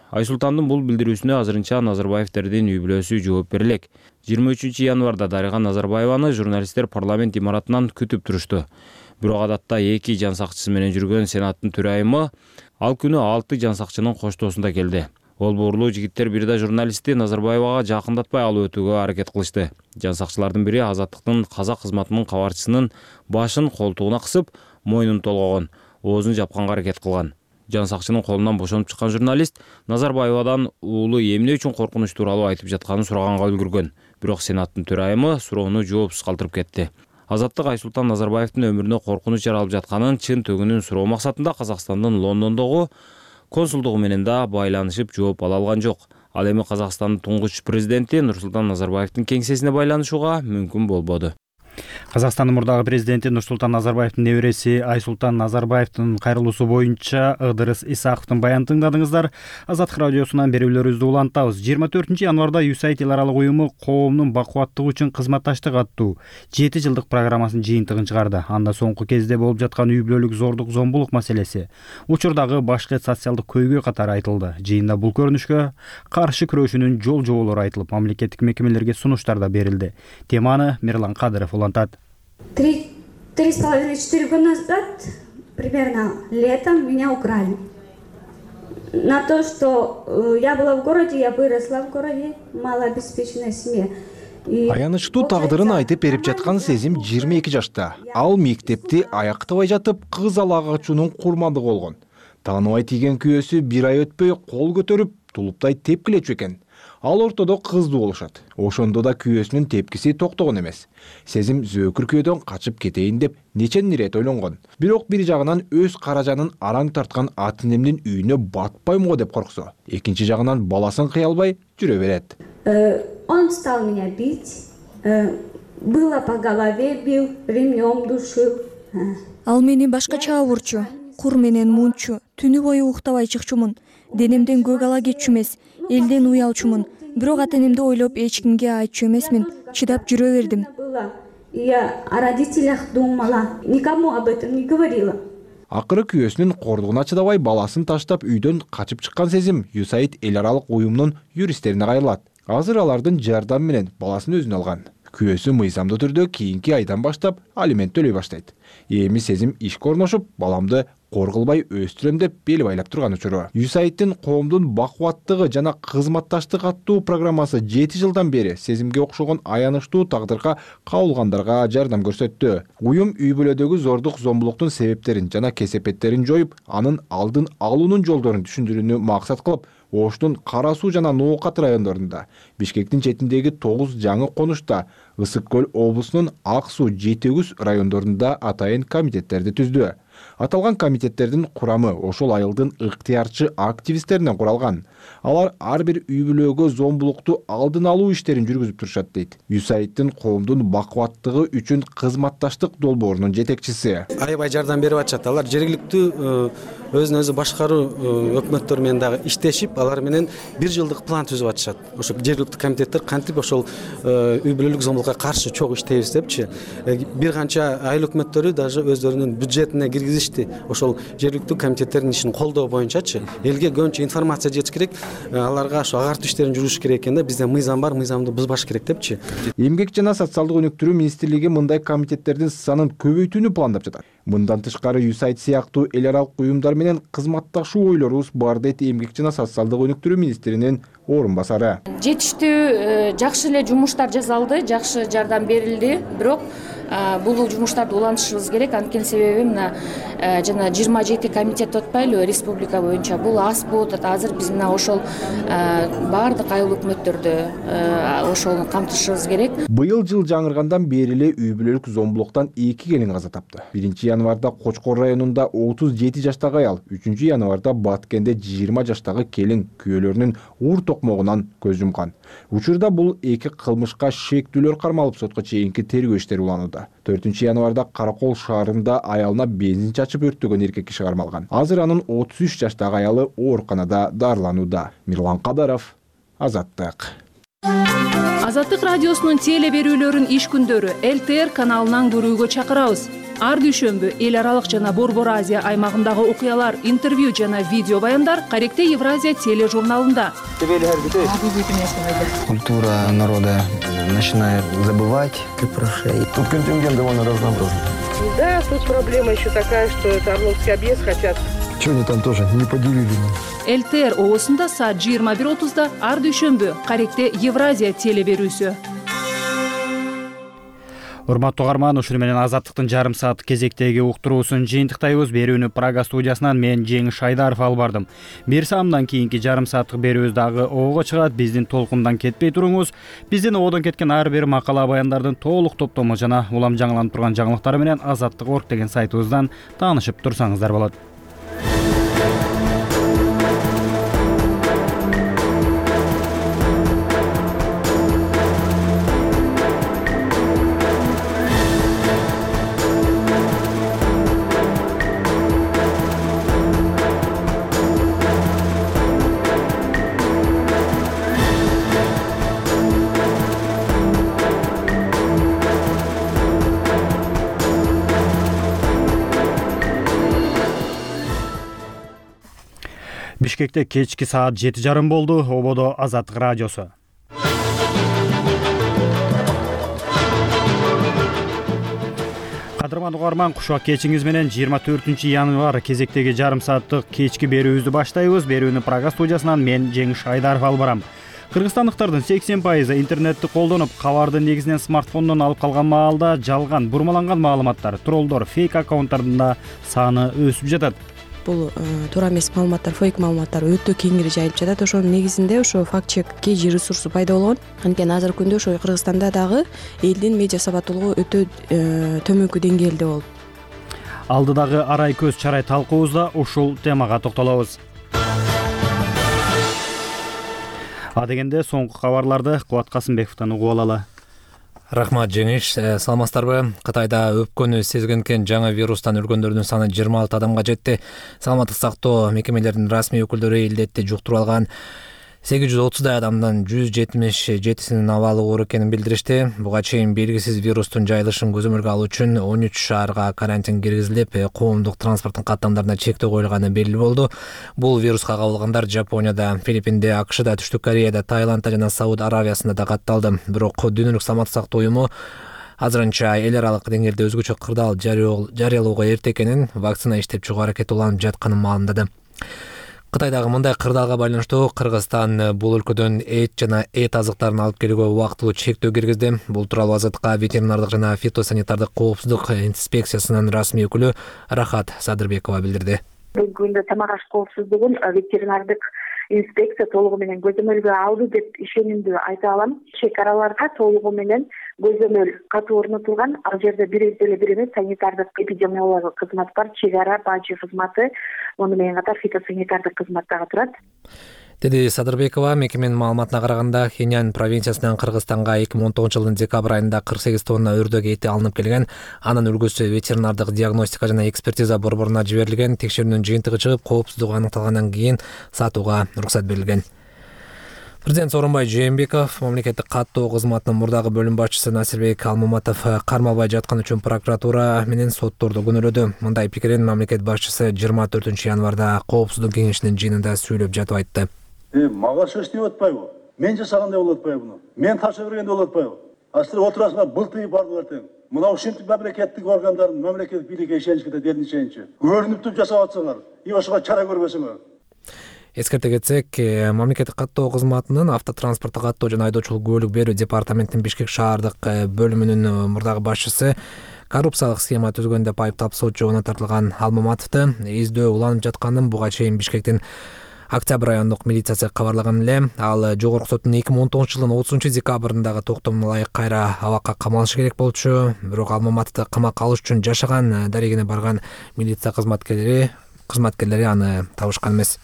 Айсултандын бул билдирүүсүнө азырынча Назарбаевтердин үй бүлөсү жооп берелек. жыйырма үчүнчү январда Дарига Назарбаеваны журналисттер парламент имаратынан күтүп турушту. Бирок адатта эки жан сакчысы менен жүргөн Сенаттын төрайымы ал күнү алты жан сакчынын коштоосунда келди. Ол буурлуу жигиттер бир да журналистти Назарбаевага жакындатпай алып өтүүгө аракет кылышты. Жан сакчылардын бири Азаттыктын казак кызматынын кабарчысынын башын колтугуна кысып, мойнун толгогон, оозун жапканга аракет кылган. Жан сакчынын колунан бошонуп чыккан журналист Назарбаевадан уулу эмне үчүн коркунуч тууралуу айтып жатканын сураганга үлгүргөн. Бирок Сенаттын төрайымы суроону жоопсуз калтырып кетти. Азаттык Айсултан Назарбаевдин өмүрүнө коркунуч жаралып жатканын чын төгүнүн суроо максатында Казакстандын Лондондогу консулдугу менен да байланышып жооп ала алган жок. Ал эми Казакстандын туңгуч президенти Нурсултан Назарбаевдин кеңсесине байланышууга мүмкүн болбоду. Казакстандын мурдагы президенти Нурсултан Назарбаевдин небереси Айсултан Назарбаевдин кайрылуусу боюнча Ыдырыс Исаковдун баянын тыңдадыңыздар. Азаттык радиосунан берүүлөрүбүздү улантабыз. жыйырма төртүнчү январда ю эс эй ай ди эл аралык уюму коомдун бакубаттыгы үчүн кызматташтык аттуу жети жылдык программасынын жыйынтыгын чыгарды. Анда соңку кезде болуп жаткан үй бүлөлүк зордук зомбулук маселеси, учурдагы башка социалдык көйгөй катары айтылды. Жыйында бул көрүнүшкө каршы күрөшүүнүн жол жоболору айтылып, мамлекеттик мекемелерге сунуштар да берилди. Теманы Мирлан Кадыров улантат. Три, три с половиной, четыре года назад, примерно летом, меня украли. На то, что э, я была в городе, я выросла в городе, малообеспеченной семье. Аянычтуу тагдырын айтып берип жаткан Сезим жыйырма эки жашта. Ал мектепти аяктабай жатып, кыз ала качуунун курмандыгы болгон. Тааныбай тийген күйөөсү бир ай өтпөй кол көтөрүп, тулуптай тепкилечү экен. Ал ортодо кыздуу болушат. Ошондо да күйөөсүнүн тепкиси токтогон эмес. Сезим зөөкүр күйөөдөн качып кетейин деп нечен ирет ойлонгон. Бирок бир жагынан өз каражанын араң тарткан ата-энемдин үйүнө батпайм го деп корксо, экинчи жагынан баласын кыя албай жүрө берет. Он стал меня бить, было по голове бил, ремнем душил. Ал мени башкача урчу, кур менен мунчу, түнү бою уктабай чыкчумун. Денемден көк ала кетчү эмес, элден уялчумун. Бирок ата-энемди ойлоп эч кимге айтчу эмесмин, чыдап жүрө бердим. Я о родителях думала, никому об этом не говорила. Акыры күйөөсүнүн кордугуна чыдабай баласын таштап үйдөн качып чыккан Сезим ю эс эй ай ди эл аралык уюмунун юристтерине кайрылат. Азыр алардын жардамы менен баласын өзүнө алган. Күйөөсү мыйзамдуу түрдө кийинки айдан баштап алимент төлөй баштайт. Эми Сезим ишке орношуп, баламды кор кылбай өстүрөм деп бел байлап турган учуру. ю эс эй ай дин коомдун бакубаттыгы жана кызматташтык аттуу программасы жети жылдан бери Сезимге окшогон аянычтуу тагдырга кабылгандарга жардам көрсөттү. Уюм үй бүлөдөгү зордук зомбулуктун себептерин жана кесепеттерин жоюп, анын алдын алуунун жолдорун түшүндүрүүнү максат кылып, Оштун Кара Суу жана Ноокат райондорунда, Бишкектин четиндеги тогуз жаңы конушта, Ысык Көл облусунун Ак Суу, Жети Күз райондорунда атайын комитеттерди түздү. Аталган комитеттердин курамы ошол айылдын ыктыярчы активисттеринен куралган. Алар ар бир үй бүлөгө зомбулукту алдын алуу иштерин жүргүзүп турушат дейт ю эс эй ай дин коомдун бакубаттыгы үчүн кызматташтык долбоорунун жетекчиси. Аябай жардам берип атышат. Алар жергиликтүү өзүн өзү башкаруу өкмөттөр менен дагы иштешип, алар менен бир жылдык план түзүп атышат. Ошо жергиликтүү комитеттер кантип ошол үй бүлөлүк зомбулукка каршы чогуу иштейбиз депчи. Бир канча айыл өкмөттөрү даже өздөрүнүн бюджетине киргизишти. Ошол жергиликтүү комитеттердин ишин колдоо боюнчачы элге көбүнчө информация жетиш керек. Аларга ошо агартуу иштерин жүргүзүш керек экен да, бизде мыйзам бар, мыйзамды бузбаш керек депчи. Эмгек жана социалдык өнүктүрүү министрлиги мындай комитеттердин санын көбөйтүүнү пландап жатат. Мындан тышкары ю эс эй ай ди сыяктуу эл аралык уюмдар менен кызматташуу ойлорубуз бар дейт Эмгек жана социалдык өнүктүрүү министринин орун басары. Жетиштүү жакшы эле жумуштар жасалды, жакшы жардам берилди, бирок бул жумуштарды улантышыбыз керек. Анткени себеби мына жана жыйырма жети комитет отпайлы республика боюнча, бул аз болуп атат. Азыр биз мына ошол баардык айыл өкмөттөрдү ошону камтышыбыз керек. Быйыл жыл жаңыргандан бери эле үй бүлөлүк зомбулуктан эки келин каза тапты. Биринчи январда Кочкор районунда отуз жети жаштагы аял, үчүнчү январда Баткенде жыйырма жаштагы келин күйөөлөрүнүн уур токмогунан көз жумкан. Учурда бул эки кылмышка шектүүлөр кармалып сотко чейинки тергөө иштери уланууда. төртүнчү январда Каракол шаарында аялына бензин чачып өрттөгөн эркек киши кармалган. Азыр анын отуз үч жаштагы аялы ооруканада дарыланууда. Мирлан Кадаров, Азаттык. Азаттык радиосунун теле берүүлөрүн иш күндөрү эл тэ эр каналынан көрүүгө чакырабыз. Ар дүйшөмбү эл аралык жана Борбор Азия аймагындагы окуялар, интервью жана видео баяндар Каректе Евразия тележурналында. Культура народа начинает забывать прошей. Тут контингент довольно разнообразный. Да, тут проблема еще такая, что это Орловский объезд хотят. Что они там тоже не поделили? эл тэ эр оосунда саат жыйырма бир отузда ар дүйшөмбү Каректе Евразия теле берүүсү. Урматтуу угарман, ушуну менен Азаттыктын жарым саат кезектеги уктуруусун жыйынтыктайбыз. Берүүнү Прага студиясынан мен Жеңиш Айдаров алып бардым. Бир саамдан кийинки жарым сааттык берүүбүз дагы оого чыгат. Биздин толкундан кетпей туруңуз. Биздин оодон кеткен ар бир макала баяндардын толук топтому жана улам жаңыланып турган жаңылыктары менен азаттык точка орг деген сайтыбыздан таанышып турсаңыздар болот. Бишкекте кечки саат жети жарым болду. Ободо Азаттык радиосу. Кадырман угарман, кушак кечиңиз менен жыйырма төртүнчү январь кезектеги жарым сааттык кечки берүүбүздү баштайбыз. Берүүнү Прага студиясынан мен Жеңиш Айдаров алып барам. Кыргызстандыктардын сексен пайызы интернетти колдонуп, кабарды негизинен смартфондон алып калган маалда жалган, бурмаланган маалыматтар, троллдор, фейк аккаунттардын саны өсүп жатат. Бул туура эмес маалыматтар, фейк маалыматтар өтө кеңири жайылып жатат. Ошонун негизинде ошо факт чек кей жи ресурсу пайда болгон. Анткени азыркы күндө ошо Кыргызстанда дагы элдин медиа сабаттуулугу өтө төмөнкү деңгээлде болуп. Алдыдагы арай көз чарай талкуубузда ушул темага токтолобуз. Адегенде соңку кабарларды Кубат Касымбековдон угуп алалы. Рахмат Жеңиш, саламатсыздарбы? Кытайда өпкөнү сезгенкен жаңы вирустан өлгөндөрдүн саны жыйырма алты адамга жетти. Саламаттык сактоо мекемелеринин расмий өкүлдөрү илдетти жуктуруп алган сегиз жүз отуздай адамдын жүз жетимиш жетисинин абалы оор экенин билдиришти. Буга чейин белгисиз вирустун жайылышын көзөмөлгө алуу үчүн он үч шаарга карантин киргизилип, коомдук транспорттун каттамдарына чектөө коюлганы белгилүү болду. Бул вируска кабылгандар Жапонияда, Филиппинде, АКШда, Түштүк Кореяда, Таиландда жана Сауд Аравиясында да катталды. Бирок Дүйнөлүк саламаттык сактоо уюму азырынча эл аралык деңгээлде өзгөчө кырдаал жарыялоого эрте экенин, вакцина иштеп чыгуу аракети уланып жатканын маалымдады. Кытайдагы мындай кырдаалга байланыштуу Кыргызстан бул өлкөдөн эт жана эт азыктарын алып келүүгө убактылуу чектөө киргизди. Бул тууралуу Азаттыкка ветеринардык жана фитосанитардык коопсуздук инспекциясынын расмий өкүлү Рахат Садырбекова билдирди. Бүгүнкү күндө тамак аш коопсуздугун ветеринардык инспекция толугу менен көзөмөлгө алды деп ишенимдүү айта алам. Чек араларда толугу менен көзөмөл катуу орнотулган. Ал жерде бир деле бир эмес санитардык эпидемиологиялык кызмат бар, чек ара бажы кызматы, муну менен катар фитосанитардык кызмат дагы турат, деди Садырбекова. Мекеменин маалыматына караганда, Хенян провинциясынан Кыргызстанга эки миң он тогузунчу жылдын декабрь айында кырк сегиз тонна өрдөк эти алынып келген. Анын үлгүсү ветеринардык диагностика жана экспертиза борборуна жиберилген. Текшерүүнүн жыйынтыгы чыгып, коопсуздугу аныкталгандан кийин сатууга уруксат берилген. Президент Сооронбай Жээнбеков мамлекеттик каттоо кызматынын мурдагы бөлүм башчысы Насирбек Алмаматов кармалбай жатканы үчүн прокуратура менен сотторду күнөөлөдү. Мындай пикирин мамлекет башчысы жыйырма төртүнчү январда коопсуздук кеңешинин жыйынында сүйлөп жатып айтты. Мага ошентип деп атпайбы? Мен жасагандай болуп атпайбы буну? Мен тапшыра бергенде болуп атпайбы? Астыр отурасыңар былтыйып бардыңар тең. Мына ушинтип мамлекеттик органдардын, мамлекеттик бийликке ишеничке да дерин ишеничи. Көрүнүп туруп жасап атсаңар, и ошого чара көрбөсөңөр. Эскерте кетсек, мамлекеттик каттоо кызматынын автотранспорттук каттоо жана айдоочулук көлүк берүү департаментинин Бишкек шаардык бөлүмүнүн мурдагы башчысы коррупциялык схема түзгөн деп айыптап сот жообуна тартылган Алмаматовду издөө уланып жатканын буга чейин Бишкектин Октябрь райондук милициясы кабарлаган эле. Ал жогорку соттун эки миң он тогузунчу жылдын отузунчу декабрындагы токтомуна ылайык кайра абакка камалышы керек болчу. Бирок Алмаматовду камакка алыш үчүн жашаган дарегине барган милиция кызматкерлери кызматкерлери аны табышкан эмес.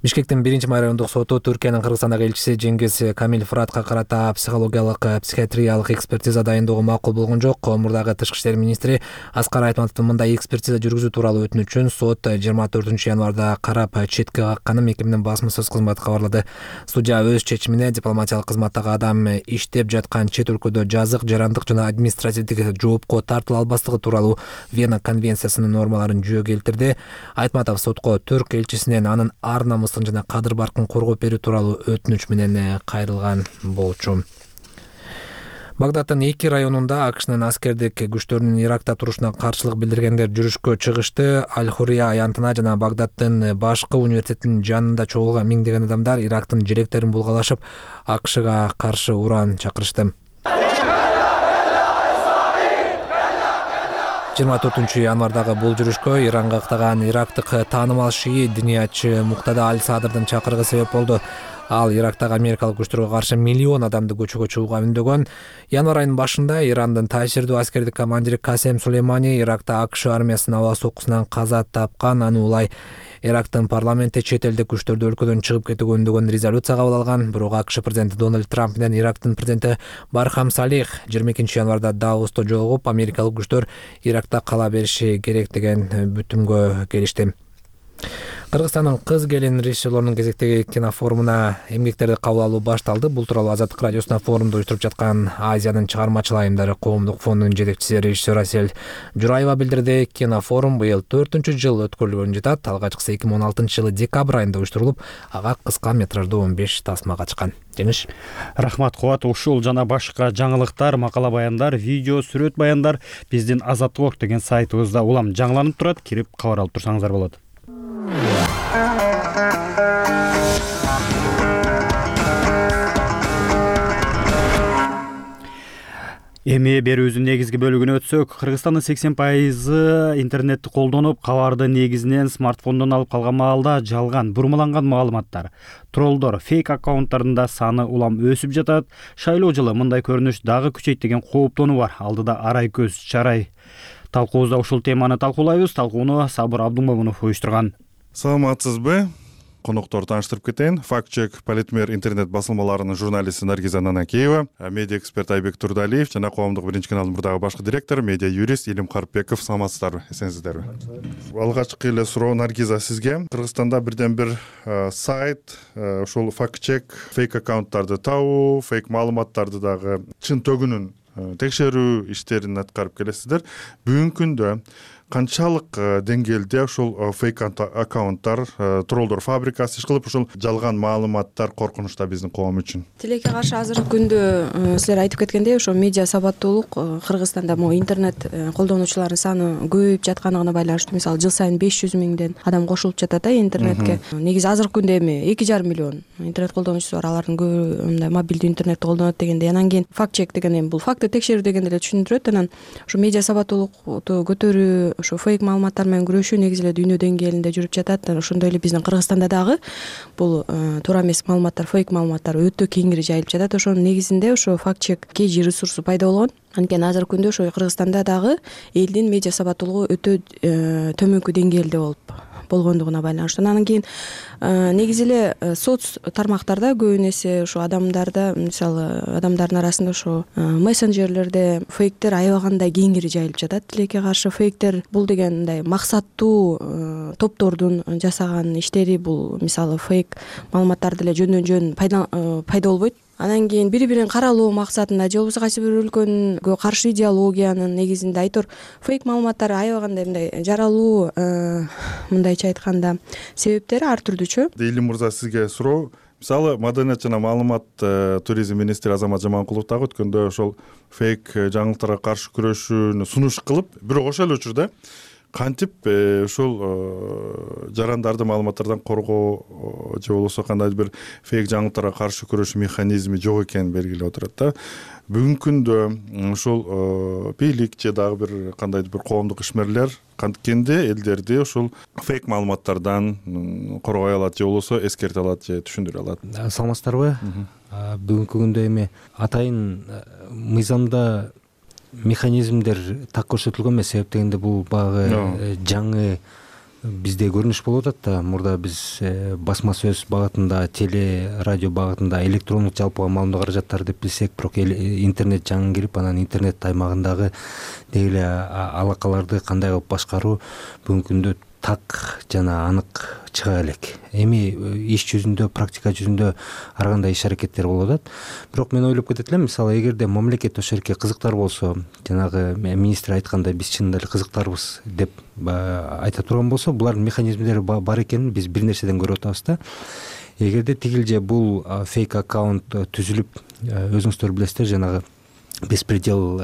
Бишкектин биринчи май райондук соту Түркиянын Кыргызстандагы элчиси Жеңгиз Камил Фуратка карата психологиялык, психиатриялык экспертиза дайындоого макул болгон жок. Мурдагы тышкы иштер министри Аскар Айтматовдун мындай экспертиза жүргүзүү тууралуу өтүнүчүн сот жыйырма төртүнчү январда карап четке какканын мекеменин басма сөз кызматы кабарлады. Судья өз чечимине дипломатиялык кызматтагы адам иштеп жаткан чет өлкөдө жазык, жарандык жана административдик жоопко тартыла албастыгы тууралуу Вена конвенциясынын нормаларын жүйө келтирди. Айтматов сотко Түрк элчисинен анын ар намысын жана кадыр баркын коргоп берүү тууралуу өтүнүч менен кайрылган болчу. Багдадтын эки районунда АКШнын аскердик күчтөрүнүн Иракта турушуна каршылык билдиргендер жүрүшкө чыгышты. Аль-Хурия аянтына жана Багдадтын башкы университетинин жанында чогулган миңдеген адамдар Ирактын желектерин булгалашып, АКШга каршы уран чакырышты. жыйырма төртүнчү январдагы бул жүрүшкө Иранга ыктаган ирактык таанымал шии диниятчы Муктада Аль-Садырдын чакырыгы себеп болду. Ал Ирактагы америкалык күчтөргө каршы миллион адамды көчөгө чыгууга үндөгөн. Январь айынын башында Ирандын таасирдүү аскердик командири Касем Сулеймани Иракта АКШ армиясынын аба соккусунан каза тапкан. Аны улай Ирактын парламенти чет элдик күчтөрдү өлкөдөн чыгып кетүүгө үндөгөн резолюция кабыл алган. Бирок АКШ президенти Дональд Трамп менен Ирактын президенти Бархам Салих жыйырма экинчи январда Давоста жолугуп, америкалык күчтөр Иракта кала бериши керек деген бүтүмгө келишти. Кыргызстандын кыз келин режиссерлорунун кезектеги кинофорумуна эмгектерди кабыл алуу башталды. Бул тууралуу Азаттык радиосуна форумду уюштуруп жаткан Азиянын чыгармачыл айымдары коомдук фондунун жетекчиси режиссер Асель Жураева билдирди. Кинофорум быйыл төртүнчү жыл өткөрүлгөнү жатат. Алгачкысы эки миң он алтынчы жылы декабрь айында уюштурулуп, ага кыска метраждуу он беш тасма катышкан. Жеңиш. Рахмат Кубат. Ушул жана башка жаңылыктар, макала баяндар, видео, сүрөт баяндар биздин Азаттык ок деген сайтыбызда улам жаңыланып турат. Кирип кабар алып турсаңыздар болот. Эми берүүбүздүн негизги бөлүгүнө өтсөк, Кыргызстандын сексен пайызы интернетти колдонуп, кабарды негизинен смартфондон алып калган маалда жалган, бурмаланган маалыматтар, троллдор, фейк аккаунттардын саны улам өсүп жатат. Шайлоо жылы мындай көрүнүш дагы күчөйт деген кооптонуу бар. Алдыда арай көз чарай. Талкуубузда ушул теманы талкуулайбыз. Талкууну Сабыр Абдумомунов уюштурган. Саламатсызбы? Конокторду тааныштырып кетейин. Фактчек Политмер интернет басылмаларынын журналисти Наргиза Нанакеева, медиа эксперт Айбек Турдалиев жана коомдук биринчи каналдын мурдагы башкы директору, медиа юрист Илим Карпбеков. Саламатсыздарбы? Эсенсиздерби? Алгачкы эле суроо Наргиза сизге. Кыргызстанда бирден бир сайт ушул фактчек фейк аккаунттарды табуу, фейк маалыматтарды дагы чын төгүнүн текшерүү иштерин аткарып келесиздер. Бүгүнкү күндө канчалык деңгээлде ушул фейк аккаунттар, троллдор фабрикасы иш кылып, ушул жалган маалыматтар коркунучта биздин коом үчүн? Тилекке каршы азыркы күндө силер айтып кеткендей, ошо медиа сабаттуулук Кыргызстанда могу интернет колдонуучулардын саны көбөйүп жатканына байланыштуу. Мисалы, жыл сайын беш жүз миңден адам кошулуп жатат да интернетке. Негизи азыркы күндө эми эки жарым миллион интернет колдонуучусу бар. Алардын көбү мындай мобилдүү интернетти колдонот дегенде, анан кийин факт чек деген эми бул факты текшерүү дегенди эле түшүндүрөт. Анан ушу медиа сабаттуулукту көтөрүү, ошо фейк маалыматтар менен күрөшүү негизи эле дүйнө деңгээлинде жүрүп жатат. Ошондой эле биздин Кыргызстанда дагы бул туура эмес маалыматтар, фейк маалыматтар өтө кеңири жайылып жатат. Ошонун негизинде ошо факт чек кежи ресурсу пайда болгон. Анткени азыркы күндө ошо Кыргызстанда дагы элдин медиа сабаттуулугу өтө төмөнкү деңгээлде болуп болгондугуна байланыштуу. Анан кийин негизи эле соц тармактарда көбүн эсе ошо адамдарда, мисалы, адамдардын арасында ошо мессенджерлерде фейктер аябагандай кеңири жайылып жатат. Тилекке каршы фейктер бул деген мындай максаттуу топтордун жасаган иштери. Бул мисалы фейк маалыматтарды эле жөндөн жөн пайда болбойт. Анан кийин бири-бирин каралоо максатында же болбосо кайсы бир өлкөнүн каршы идеологиянын негизинде айтор фейк маалыматтар аябагандай мындай жаралуу, мындайча айтканда, себептери ар түрдүүчү. Илим мырза, сизге суроо. Мисалы, маданият жана маалымат туризм министри Азамат Жаманкулов дагы өткөндө ошол фейк жаңылыктарга каршы күрөшүүнү сунуш кылып, бирок ошол эле учурда кантип ушул жарандарды маалыматтардан коргоо же болбосо кандайдыр бир фейк жаңылыктарга каршы күрөшүү механизми жок экенин белгилеп отурат да. Бүгүнкү күндө ушул бийлик же дагы бир кандайдыр бир коомдук ишмерлер канткенде элдерди ушул фейк маалыматтардан коргой алат же болбосо эскерте алат же түшүндүрө алат? Саламатсыздарбы? Бүгүнкү күндө эми атайын мыйзамда механизмдер так көрсөтүлгөн эмес. Себеп дегенде бул баягы жаңы бизде көрүнүш болуп атат да. Мурда биз басма сөз багытында, теле, радио багытында электрондук жалпыга маалымдоо каражаттары деп билсек, бирок интернет жаңы кирип, анан интернет аймагындагы деги эле алакаларды кандай кылып башкаруу бүгүнкү күндө так жана анык чыга элек. Эми иш жүзүндө, практика жүзүндө ар кандай иш аракеттер болуп атат. Бирок мен ойлоп кетет элем, мисалы, эгерде мамлекет ошол жерге кызыктар болсо, жанагы министр айткандай биз чынында эле кызыктарбыз деп айта турган болсо, булардын механизмдери бар экенин биз бир нерседен көрүп атабыз да. Эгерде тигилже бул фейк аккаунт түзүлүп, өзүңүздөр билесиздер, жанагы беспредел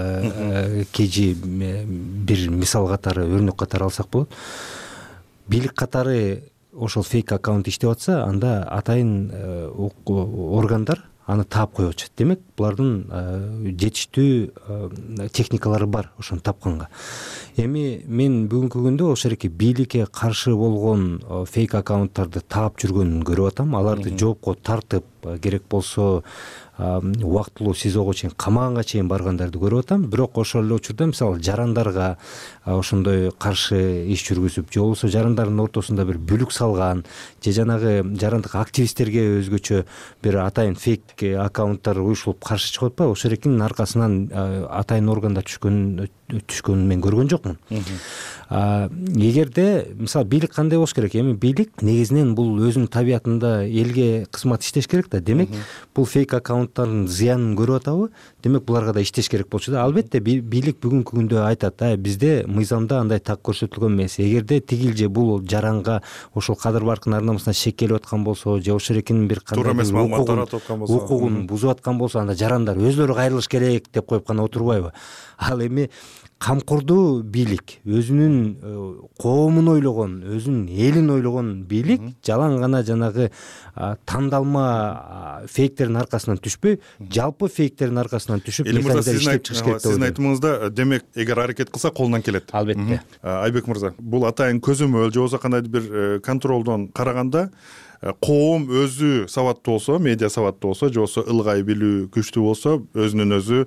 кежи бир мисал катары, өрнөк катары алсак болот. Бийлик катары ошол фейк аккаунт иштеп атса, анда атайын органдар аны таап коюп атышат. Демек, булардын жетиштүү техникалары бар ошону тапканга. Эми мен бүгүнкү күндө ошол жерге бийликке каршы болгон фейк аккаунттарды таап жүргөнүн көрүп атам. Аларды жоопко тартып, керек болсо убактылуу сизого чейин, камаганга чейин баргандарды көрүп атам. Бирок ошол эле учурда, мисалы, жарандарга ошондой каршы иш жүргүзүп, же болбосо жарандардын ортосунда бир бүлүк салган, же жанагы жарандык активисттерге өзгөчө бир атайын фейк аккаунттар уюшулуп каршы чыгып атпайбы? Ошол экинин аркасынан атайын органдар түшкөн түшкөнүн мен көргөн жокмун. Эгерде мисалы бийлик кандай болуш керек? Эми бийлик негизинен бул өзүнүн табиятында элге кызмат иштеш керек да. Демек бул фейк аккаунттардын зыянын көрүп атабы? Демек буларга да иштеш керек болчу да. Албетте бийлик бүгүнкү күндө айтат, а бизде мыйзамда андай так көрсөтүлгөн эмес. Эгерде тигил же бул жаранга ошол Кадыр Баркын ар намысына шек келип аткан болсо, же ошол эркинин бир кандай укугун бузуп аткан болсо, анда жарандар өзлөрү кайрылыш керек деп коюп гана отурбайбы? Ал эми камкордуу бийлик, өзүнүн коомун ойлогон, өзүнүн элин ойлогон бийлик жалаң гана жанагы тандалма фейктердин аркасынан түшпөй, жалпы фейктердин аркасынан түшүп механизмдер иштеп чыгыш керек деп ойлойм. Сиздин айтымыңызда, демек, эгер аракет кылса колунан келет. Албетте. Айбек мырза, бул атайын көзөмөл же болбосо кандайдыр бир контролдон караганда коом өзү сабаттуу болсо, медиа сабаттуу болсо, же болбосо ылгай билүү күчтүү болсо, өзүнүн өзү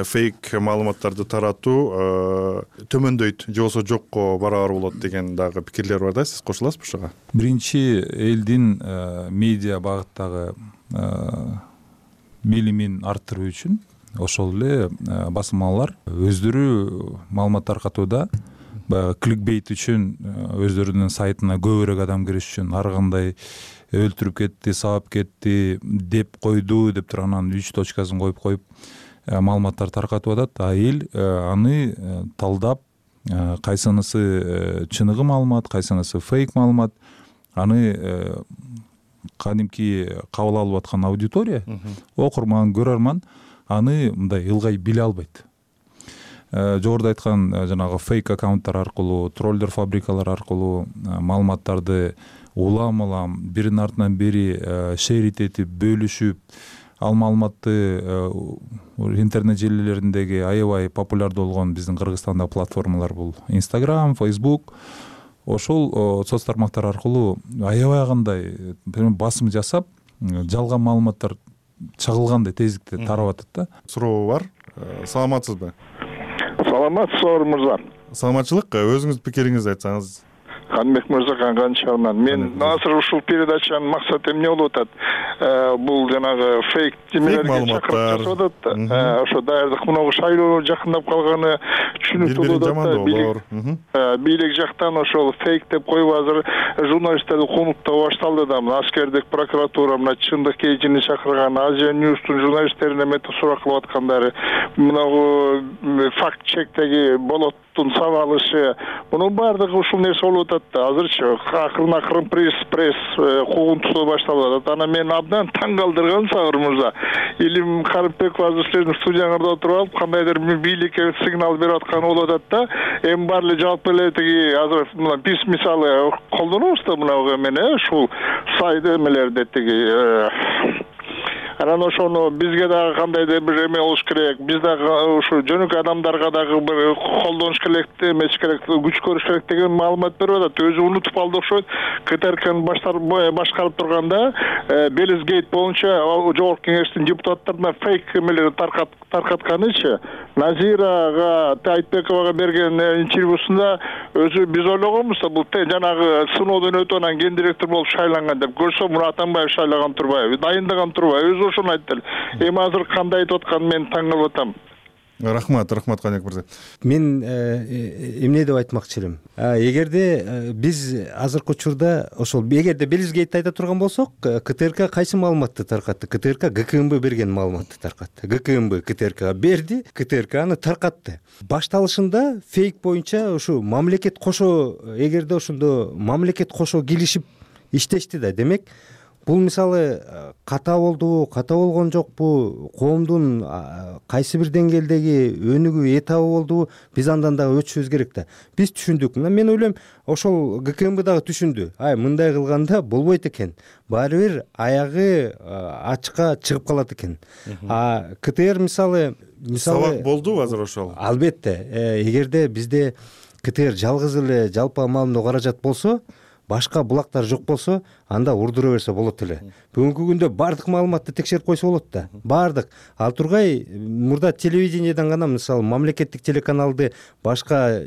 фейк маалыматтарды таратуу төмөндөйт, же болбосо жокко барабар болот деген дагы пикирлер бар да. Сиз кошуласызбы ушуга? Биринчи, элдин медиа багыттагы билимин арттыруу үчүн ошол эле басылмалар өздөрү маалымат таркатууда баягы кликбейт үчүн өздөрүнүн сайтына көбүрөөк адам кириш үчүн ар кандай өлтүрүп кетти, сабап кетти, деп койду деп туруп анан үч точкасын коюп коюп маалыматтар таркатып атат. А эл аны талдап, кайсынысы чыныгы маалымат, кайсынысы фейк маалымат, аны кадимки кабыл алып аткан аудитория, окурман, көрөрман аны мындай ылгай биле албайт. Жогоруда айткан жанагы фейк аккаунттар аркылуу, троллдер фабрикалар аркылуу маалыматтарды улам улам биринин артынан бири шерит этип, бөлүшүп, ал маалыматты интернет желилериндеги аябай популярдуу болгон биздин Кыргызстанда платформалар бул Instagram, Facebook, ошол соц тармактар аркылуу аябай кандай басым жасап, жалган маалыматтар чагылгандай тездикте тарап атат да. Суроо бар. Саламатсызбы? Саламатсызбы мырза? Саламатчылык. Өзүңүздүн пикириңизди айтсаңыз. Канбек мырза Канганчагынан. Мен азыр ушул передачанын максаты эмне болуп атат? Бул жанагы фейк жемелерге чакырып жасап атат да. Ошо даярдык мынагу шайлоо жакындап калганы түшүнүктүү болуп атат да. Бийлик жактан ошол фейк деп коюп азыр журналисттерди конуктоо башталды да. Аскердик прокуратура мына чындык кечини чакырган, Азия Ньюстун журналисттерине мета сурак кылып аткандары, мынагу факт чектеги болот сабалышы, мунун баардыгы ушул нерсе болуп атат да. Азырчы акырын акырын пресс пресс куугунтусу башталып атат. Анан мен абдан таң калтырган Сагыр мырза, Илим Карымбеков азыр сиздин студияңызда отуруп алып, кандайдыр бийликке сигнал берип атканы болуп атат да. Эми баары эле жалпы эле тиги азыр мына биз мисалы колдонобуз да мына эмени, ушул сайт эмелерди тиги. Анан ошону бизге дагы кандайдыр бир эме болуш керек, биз дагы ушу жөнөкөй адамдарга дагы бир колдонуш керек, эмес керек, күч көрүш керек деген маалымат берип атат. Өзү унутуп алды окшойт. КТРКны башкарып турганда Белизгейт боюнча жогорку кеңештин депутаттарына фейк эмелерди таркатканычы, Назирага Айтбековага берген интервьюсунда өзү биз ойлогонбуз да бул жанагы сыноодон өтүп анан ген директор болуп шайланган деп. Көрсө муну Атамбаев шайлаган турбайбы, дайындаган турбайбы, өзү ошону айтты. Эми азыр кандай айтып атканын мен таң калып атам. Рахмат, рахмат Канбек мырза. Мен эмне деп айтмакчы элем. Эгерде биз азыркы учурда ошол эгерде Белизгейтти айта турган болсок, КТРК кайсы маалыматты таркатты? КТРК ГКМБ берген маалыматты таркатты. ГКМБ КТРКга берди, КТРК аны таркатты. Башталышында фейк боюнча ушу мамлекет кошо, эгерде ошондо мамлекет кошо килишип иштешти да. Демек бул мисалы ката болдубу, ката болгон жокпу, коомдун кайсы бир деңгээлдеги өнүгүү этабы болдубу, биз андан дагы өтүшүбүз керек да. Биз түшүндүк. Мына мен ойлойм, ошол ГКМБ дагы түшүндү. Ай, мындай кылганда болбойт экен. Баары бир аягы ачыкка чыгып калат экен. А КТР мисалы мисалы сабак болдубу азыр ошол? Албетте. Эгерде бизде КТР жалгыз эле жалпы маалыматтуу каражат болсо, башка булактар жок болсо, анда урдура берсе болот эле. Бүгүнкү күндө бардык маалыматты текшерип койсо болот да. Бардык. Ал тургай мурда телевидениеден гана мисалы мамлекеттик телеканалды башка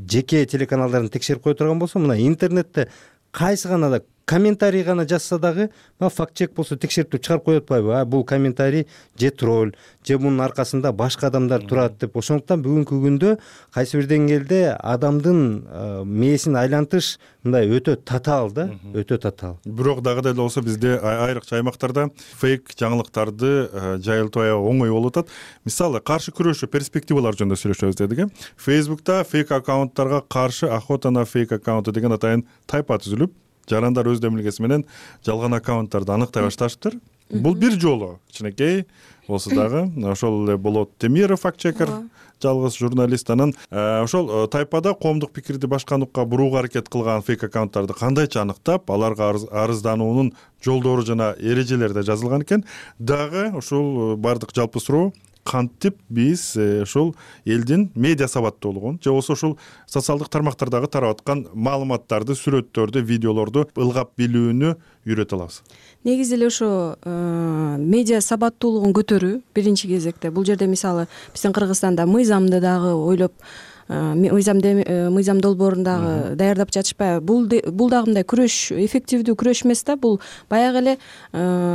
жеке телеканалдарын текшерип кое турган болсо, мына интернетте кайсы гана да комментарий гана жазса дагы баягы факт чек болсо текшерип чыгарып коюп атпайбы, а бул комментарий же тролль же мунун аркасында башка адамдар турат деп. Ошондуктан бүгүнкү күндө кайсы бир деңгээлде адамдын мээсин айлантыш мындай өтө татаал да, өтө татаал. Бирок дагы деле болсо бизде айрыкча аймактарда фейк жаңылыктарды жайылтуу аябай оңой болуп атат. Мисалы, каршы күрөшүү перспективалар жөнүндө сүйлөшөбүз дедик. Фейсбукта фейк аккаунттарга каршы охота на фейк аккаунты деген атайын тайпа түзүлүп, жарандар өз демилгеси менен жалган аккаунттарды аныктай башташыптыр. Бул бир жолу кичинекей болсо дагы ошол эле Болот Темиров факт-чекер, жалгыз журналист. Анан ошол тайпада коомдук пикирди башка нукка бурууга аракет кылган фейк аккаунттарды кандайча аныктап, аларга арыздануунун жолдору жана эрежелери да жазылган экен. Дагы ушул бардык жалпы суроо кантип биз ушул элдин медиа сабаттуулугун же болбосо ушул социалдык тармактардагы тарап аткан маалыматтарды, сүрөттөрдү, видеолорду ылгап билүүнү үйрөтө алабыз? Негизи эле ошо медиа сабаттуулугун көтөрүү биринчи кезекте. Бул жерде мисалы биздин Кыргызстанда мыйзамды дагы ойлоп, мыйзам мыйзам долбоорун дагы даярдап жатышпайбы? Бул бул дагы мындай күрөш, эффективдүү күрөш эмес да. Бул баягы эле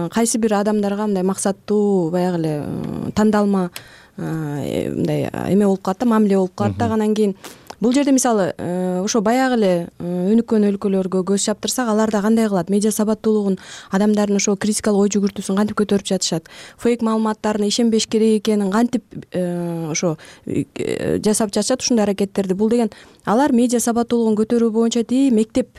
кайсы бир адамдарга мындай максаттуу, баягы эле тандалма мындай эме болуп калат да, мамиле болуп калат да. Анан кийин бул жерде мисалы ошо баягы эле өнүккөн өлкөлөргө көз чаптырсак, аларда кандай кылат? Медиа сабаттуулугун, адамдардын ошо критикалык ой жүгүртүүсүн кантип көтөрүп жатышат? Фейк маалыматтарына ишенбеш керек экенин кантип ошо жасап жатышат ушундай аракеттерди? Бул деген алар медиа сабаттуулугун көтөрүү боюнча тии мектеп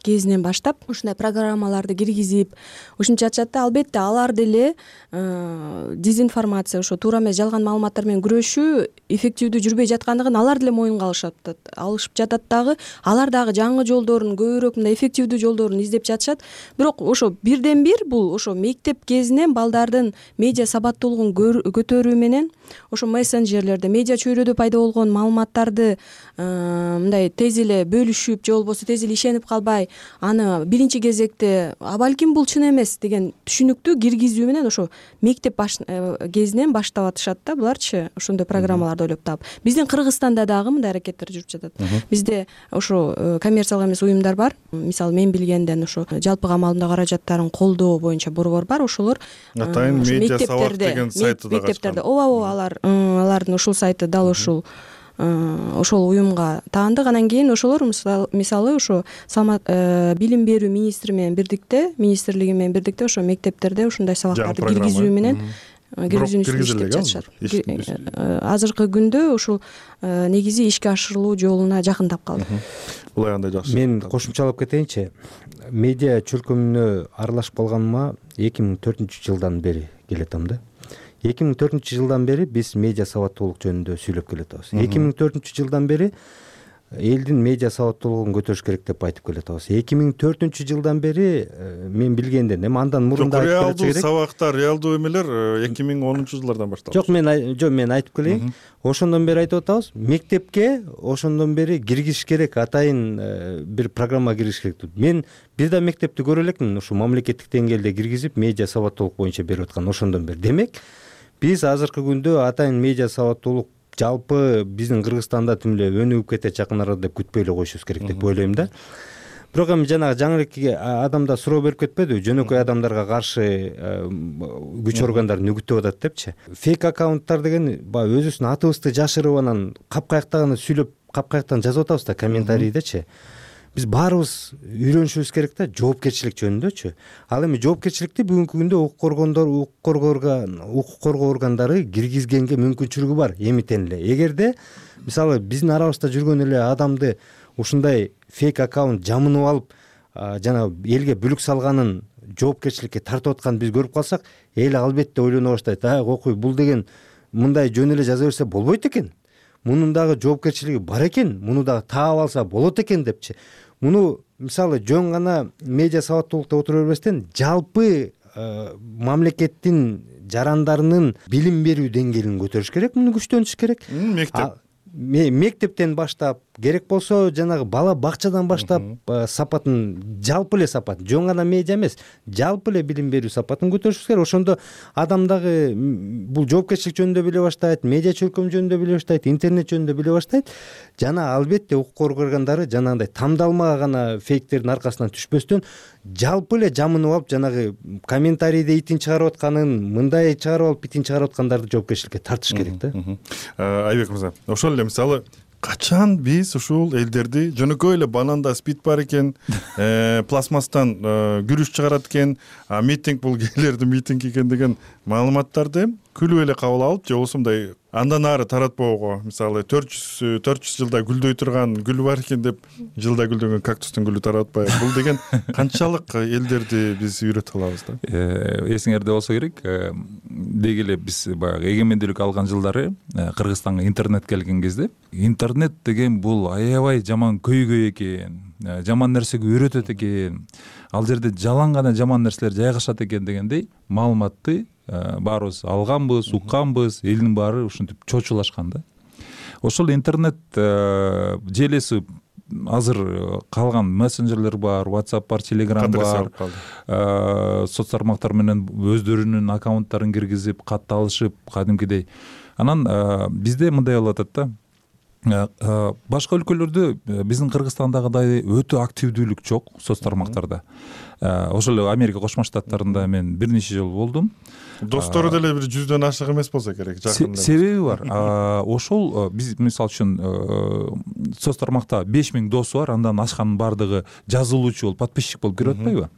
кезинен баштап ушундай программаларды киргизип ушинтип жатышат да. Албетте алар деле дезинформация, ошо туура эмес жалган маалыматтар менен күрөшүү эффективдүү жүрбөй жаткандыгын алар деле моюнга алышат, алышып жатат дагы. Алар дагы жаңы жолдорун, көбүрөөк мындай эффективдүү жолдорун издеп жатышат. Бирок ошо бирден бир бул ошо мектеп кезинен балдардын медиа сабаттуулугун көтөрүү менен ошо мессенджерлерде, медиа чөйрөдө пайда болгон маалыматтарды мындай тез эле бөлүшүп же болбосо тез эле ишенип калбай, аны биринчи кезекте а балким бул чын эмес деген түшүнүктү киргизүү менен ошо мектеп кезинен баштап атышат да буларчы, ошондой программаларды ойлоп таап. Биздин Кыргызстанда дагы мындай аракеттер жүрүп жатат. Бизде ошо коммерциялык эмес уюмдар бар. Мисалы мен билгенден ошо жалпыга маалымдоо каражаттарын колдоо боюнча борбор бар. Ошолор атайын медиа сабак деген сайты да мектептерде ооба ооба алар алардын ушул сайты дал ушул ошол уюмга таандык. Анан кийин ошолор мисалы ошо билим берүү министри менен бирдикте, министрлиги менен бирдикте ошо мектептерде ушундай сабактарды киргизүү менен киргизүүнү иштеп жатышат. Азыркы күндө ушул негизи ишке ашырылуу жолуна жакындап калды. Булай андай жакшы. Мен кошумчалап кетейинчи. Медиа чөлкөмүнө аралашып калганыма эки миң төртүнчү жылдан бери келатам да. эки миң төртүнчү жылдан бери биз медиа сабаттуулук жөнүндө сүйлөп келатабыз. эки миң төртүнчү жылдан бери элдин медиа сабаттуулугун көтөрүш керек деп айтып келатабыз. эки миң төртүнчү жылдан бери мен билгенден эми андан мурун да айтып реалдуу сабактар, реалдуу эмелер эки миң онунчу жылдардан башталды. Жок, мен жок мен айтып келейин. Ошондон бери айтып атабыз. Мектепке ошондон бери киргизиш керек, атайын бир программа киргизиш керек. Мен бир да мектепти көрө элекмин ушу мамлекеттик деңгээлде киргизип медиа сабаттуулук боюнча берип аткан ошондон бери. Демек, биз азыркы күндө атайын медиа сабаттуулук жалпы биздин Кыргызстанда тим эле өнүгүп кетет жакын арада деп күтпөй эле коюшубуз керек деп ойлойм да. Бирок эми жанагы жаңы эле адамда суроо берип кетпедиби? Жөнөкөй адамдарга каршы күч органдары нүгүттөп атат депчи. Фейк аккаунттар деген баягы өзүбүздүн атыбызды жашырып анан капкаякта гана сүйлөп, капкаяктан жазып атабыз да комментарийдечи. Биз баарыбыз үйрөнүшүбүз керек да жоопкерчилик жөнүндөчү. Ал эми жоопкерчиликти бүгүнкү күндө укук коргондор, укук коргоо органдары киргизгенге мүмкүнчүлүгү бар эмитен эле. Эгерде мисалы биздин арабызда жүргөн эле адамды ушундай фейк аккаунт жамынып алып, жана элге бүлүк салганын жоопкерчиликке тартып атканын биз көрүп калсак, эл албетте ойлоно баштайт. А, окуй, бул деген мындай жөн эле жаза берсе болбойт экен. Мунун дагы жоопкерчилиги бар экен, муну дагы таап алса болот экен депчи. Муну мисалы жөн гана медиа сабаттуулукта отура бербестен жалпы мамлекеттин жарандарынын билим берүү деңгээлин көтөрүш керек, муну күчтөнүш керек. Мектеп мектептен баштап керек болсо жанагы бала бакчадан баштап сапатын, жалпы эле сапат, жөн гана медиа эмес, жалпы эле билим берүү сапатын көтөрүшүбүз керек. Ошондо адам дагы бул жоопкерчилик жөнүндө биле баштайт, медиа чөлкөм жөнүндө биле баштайт, интернет жөнүндө биле баштайт. Жана албетте укук коргоо органдары жанагындай тамдалма гана фейктердин аркасынан түшпөстөн жалпы эле жамынып алып, жанагы комментарийде итин чыгарып атканын, мындай чыгарып алып итин чыгарып аткандарды жоопкерчиликке тартыш керек да. Айбек мырза, ошол эле мисалы качан биз ушул элдерди жөнөкөй эле бананда спид бар экен, пластмасстан күрүч чыгарат экен, митинг бул гейлердин митинги экен деген маалыматтарды күлүп эле кабыл алып, же болбосо мындай андан ары таратпоого, мисалы төрт жүз жылда гүлдөй турган гүл бар экен деп жылда гүлдөгөн кактустун гүлү таратпай, бул деген канчалык элдерди биз үйрөтө алабыз да. Эсиңерде болсо керек, деги эле биз баягы эгемендүүлүк алган жылдары Кыргызстанга интернет келген кезде интернет деген бул аябай жаман көйгөй экен, жаман нерсеге үйрөтөт экен, ал жерде жалаң гана жаман нерселер жайгашат экен дегендей маалыматты баарыбыз алганбыз, укканбыз, элдин баары ушинтип чочулашкан да. Ошол интернет желеси азыр калган мессенджерлер бар, WhatsApp бар, Telegram бар, соц тармактар менен өздөрүнүн аккаунттарын киргизип, кат алышып, кадимкидей. Анан бизде мындай болуп атат да. Башка өлкөлөрдө биздин Кыргызстандагыдай өтө активдүүлүк жок соц тармактарда. Ошол эле Америка Кошмо Штаттарында мен бир нече жолу болдум. Достору деле бир жүздөн ашык эмес болсо керек, жакын. Себеби бар. Ошол биз мисалы үчүн соц тармакта беш миң досу бар, андан ашканын баардыгы жазылуучу болуп, подписчик болуп кирип атпайбы?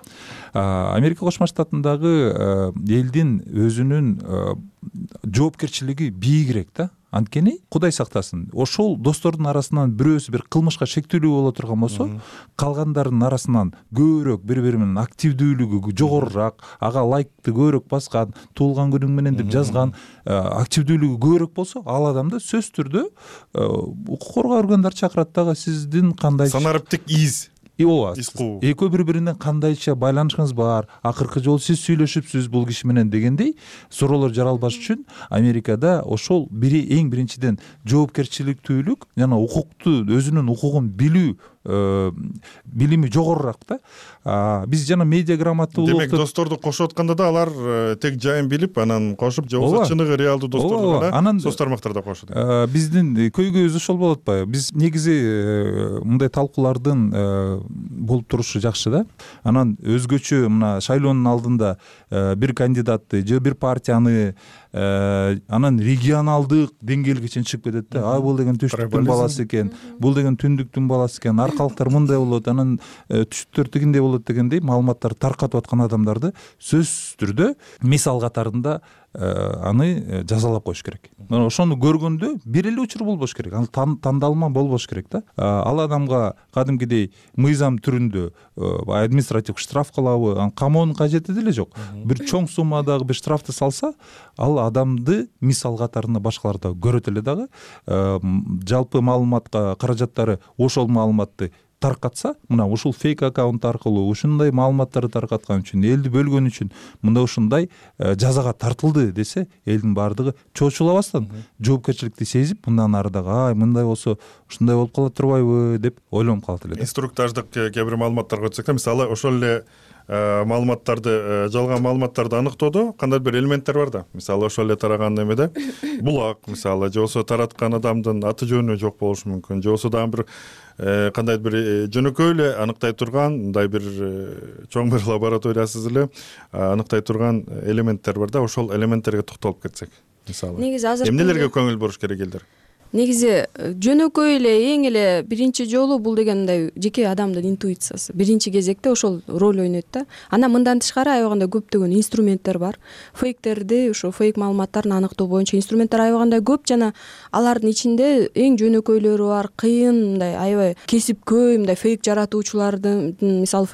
Америка Кошмо Штатындагы элдин өзүнүн жоопкерчилиги бийигирээк да. Анткени Кудай сактасын, ошол достордун арасынан бирөөсү бир кылмышка шектүүлүү боло турган болсо, калгандарынын арасынан көбүрөөк бири-бири менен активдүүлүгү жогорураак, ага лайкты көбүрөөк баскан, туулган күнүң менен деп жазган, активдүүлүгү көбүрөөк болсо, ал адамды сөзсүз түрдө укук коргоо органдары чакырат дагы, сиздин кандай санариптик из ооба, экөө бири-биринен кандайча байланышыңыз бар, акыркы жолу сиз сүйлөшүпсүз бул киши менен дегендей суроолор жаралбаш үчүн Америкада ошол бири эң биринчиден жоопкерчиликтүүлүк жана укукту, өзүнүн укугун билүү билими жогорураак да. Биз жана медиа грамоталык. Демек, досторду кошуп атканда да алар тек жайын билип, анан кошуп, же болбосо чыныгы реалдуу досторду гана соц тармактарда кошот. Биздин көйгөйүбүз ошол болуп атпайбы? Биз негизи мындай талкуулардын болуп турушу жакшы да. Анан өзгөчө мына шайлоонун алдында бир кандидатты же бир партияны анан регионалдык деңгээлге чейин чыгып кетет да. А бул деген түштүктүн баласы экен, бул деген түндүктүн баласы экен, аркалыктар мындай болот, анан түштүктөр тигиндей болот дегендей маалыматтарды таркатып аткан адамдарды сөзсүз түрдө мисал катарында аны жазалап коюш керек. Ошону көргөндө бир эле учур болбош керек, ал тандалма болбош керек да. Ал адамга кадимкидей мыйзам түрүндө административдик штраф кылабы, анан камоонун кажети деле жок. Бир чоң суммадагы бир штрафты салса, ал адамды мисал катарында башкалар да көрөт эле дагы. Жалпы маалыматка каражаттары ошол маалыматты таркатса, мына ушул фейк аккаунт аркылуу ушундай маалыматтарды таркаткан үчүн, элди бөлгөн үчүн мында ушундай жазага тартылды десе, элдин баардыгы чочулабастан жоопкерчиликти сезип, мындан ары дагы ай мындай болсо ушундай болуп кала турбайбы деп ойлонуп калат эле. Инструктаждык кээ бир маалыматтарга өтсөк да, мисалы ошол эле маалыматтарды, жалган маалыматтарды аныктоодо кандай бир элементтер бар да. Мисалы ошол эле тараган эмеде булак, мисалы, же болбосо тараткан адамдын аты жөнү жок болушу мүмкүн, же болбосо дагы бир кандай бир жөнөкөй эле аныктай турган, мындай бир чоң бир лабораториясыз эле аныктай турган элементтер бар да. Ошол элементтерге токтолуп кетсек, мисалы. Негизи азыр эмнелерге көңүл буруш керек элдер? Негизи жөнөкөй эле эң эле биринчи жолу бул деген мындай жеке адамдын интуициясы. Биринчи кезекте ошол роль ойнойт да. Анан мындан тышкары аябагандай көптөгөн инструменттер бар. Фейктерди, ошо фейк маалыматтарын аныктоо боюнча инструменттер аябагандай көп, жана алардын ичинде эң жөнөкөйлөрү бар, кыйын мындай аябай кесипкөй мындай фейк жаратуучулардын, мисалы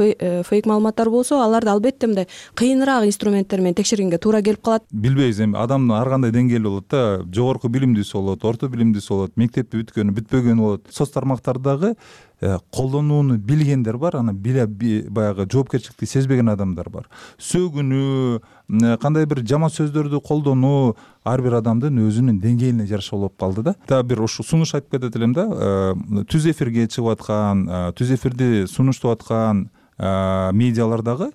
фейк маалыматтар болсо, аларды албетте мындай кыйыныраак инструменттер менен текшергенге туура келип калат. Билбейбиз, эми адамдын ар кандай деңгээли болот да. Жогорку билимдүүсү болот, орто билимдүүсү болот, мектепти бүткөнү бүтпөгөнү болот. Соц тармактардагы колдонууну билгендер бар, анан биле баягы жоопкерчиликти сезбеген адамдар бар. Сөгүнүү, кандай бир жаман сөздөрдү колдонуу ар бир адамдын өзүнүн деңгээлине жараша болуп калды да. Дагы бир ошо сунуш айтып кетет элем да. Түз эфирге чыгып аткан, түз эфирди сунуштап аткан медиалардагы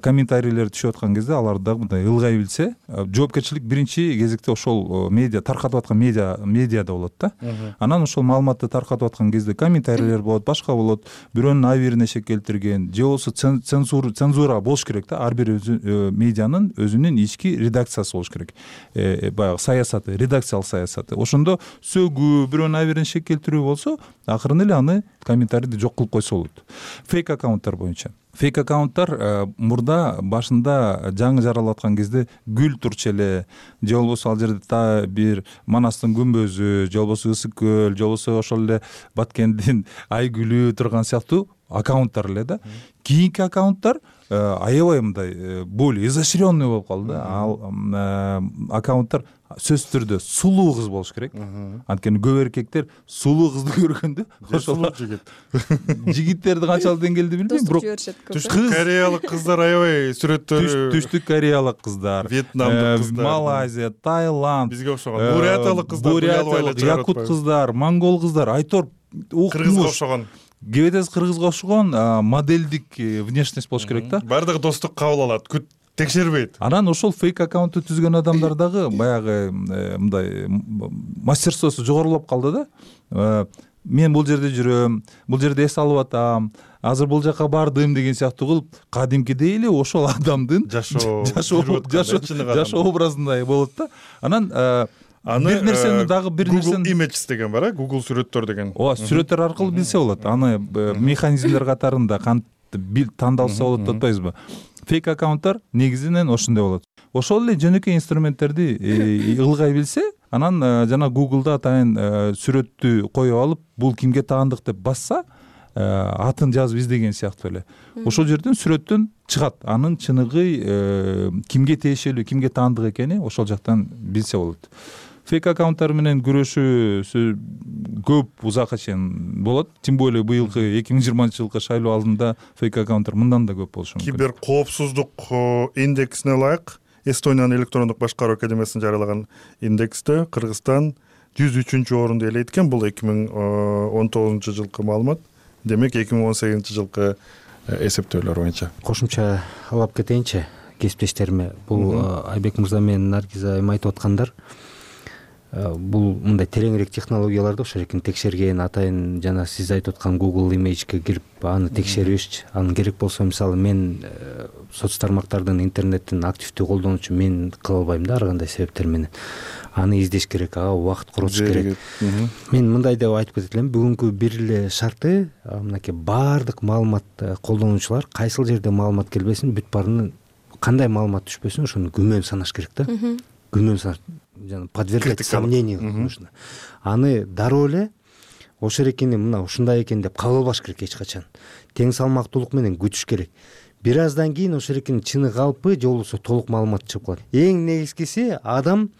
комментарийлер түшүп аткан кезде алар дагы мындай ылгай билсе, жоопкерчилик биринчи кезекте ошол медиа таркатып аткан медиа медиада болот да. Анан ошол маалыматты таркатып аткан кезде комментарийлер болот, башка болот, бирөөнүн абийирине шек келтирген же болбосо цензура цензура болуш керек да. Ар бир медианын өзүнүн ички редакциясы болуш керек. Баягы саясаты, редакциялык саясаты. Ошондо сөгүү, бирөөнүн абийирине шек келтирүү болсо, акырын эле аны комментарийди жок кылып койсо болот. Фейк аккаунттар боюнча фейк аккаунттар мурда башында жаңы жаралып аткан кезде гүл турчу эле, же болбосо ал жерде та бир Манастын күмбөзү, же болбосо Ысык көл, же болбосо ошол эле Баткендин ай гүлү турган сыяктуу аккаунттар эле да. Кийинки аккаунттар аябай мындай более изощренный болуп калды. Ал аккаунттар сөзсүз түрдө сулуу кыз болуш керек. Анткени көп эркектер сулуу кызды көргөндө ошол жигиттерди канчалык деңгээлде билбейм, бирок түштүк кореялык кыздар аябай сүрөттөрү, түштүк кореялык кыздар, вьетнамдык кыздар, Малайзия, Таиланд, бизге окшогон бурятиялык кыздар, бурятиялык, якут кыздар, монгол кыздар, айтор кыргызга окшогон, кебетес кыргызга окшогон моделдик внешность болуш керек да. Баардыгы достук кабыл алат, күт текшербейт. Анан ошол фейк аккаунтты түзгөн адамдар дагы баягы мындай мастерствосу жогорулап калды да. Мен бул жерде жүрөм, бул жерде эс алып атам, азыр бул жака бардым деген сыяктуу кылып, кадимкидей эле ошол адамдын жашоо жашоо образындай болот да. Анан бир нерсени дагы бир нерсени Google Images деген бар, Google сүрөттөр деген. Ооба, сүрөттөр аркылуу билсе болот. Аны механизмдер катарында кантип тандалса болот деп атпайбызбы? Фейк аккаунттар негизинен ошондой болот. Ошол эле жөнөкөй инструменттерди ылгай билсе, анан жана Google'да атайын сүрөттү коюп алып, бул кимге таандык деп басса, атын жазып издеген сыяктуу эле. Ошол жерден сүрөттөн чыгат. Анын чыныгы кимге тиешелүү, кимге таандык экени ошол жактан билсе болот. Фейк аккаунттар менен күрөшүү көп узакка чейин болот. Тем более быйылкы эки миң жыйырманчы жылкы шайлоо алдында фейк аккаунттар мындан да көп болушу мүмкүн. Кибер коопсуздук индексине ылайык Эстониянын электрондук башкаруу академиясынын жарыялаган индексте Кыргызстан жүз үчүнчү орунду ээлейт экен. Бул эки миң он тогузунчу жылкы маалымат. Демек эки миң он сегизинчи жылкы эсептөөлөр боюнча. Кошумча алып кетейинчи кесиптештериме. Бул Айбек мырза менен Наргиза айым айтып аткандар. Бул мындай тереңирээк технологияларды ошол жерин текшерген, атайын жана сиз айтып аткан Google Image'ге кирип аны текшеришчи. Анын керек болсо мисалы мен соц тармактардын интернеттин активдүү колдонуучу мен кыла албайм да ар кандай себептер менен. Аны издеш керек, ага убакыт коротуш керек. Мен мындай деп айтып кетет элем, бүгүнкү бир эле шарты мынакей баардык маалымат колдонуучулар кайсыл жерде маалымат келбесин, бүт баарынын кандай маалымат түшпөсүн ошону күмөн санаш керек да. Күмөн санаш, жана подвергать сомнению нужно. Аны дароо эле ошол экени мына ушундай экен деп кабыл албаш керек эч качан. Тең салмактуулук менен күтүш керек. Бир аздан кийин ошол экенин чыны калпы же болбосо толук маалымат чыгып калат. Эң негизгиси адам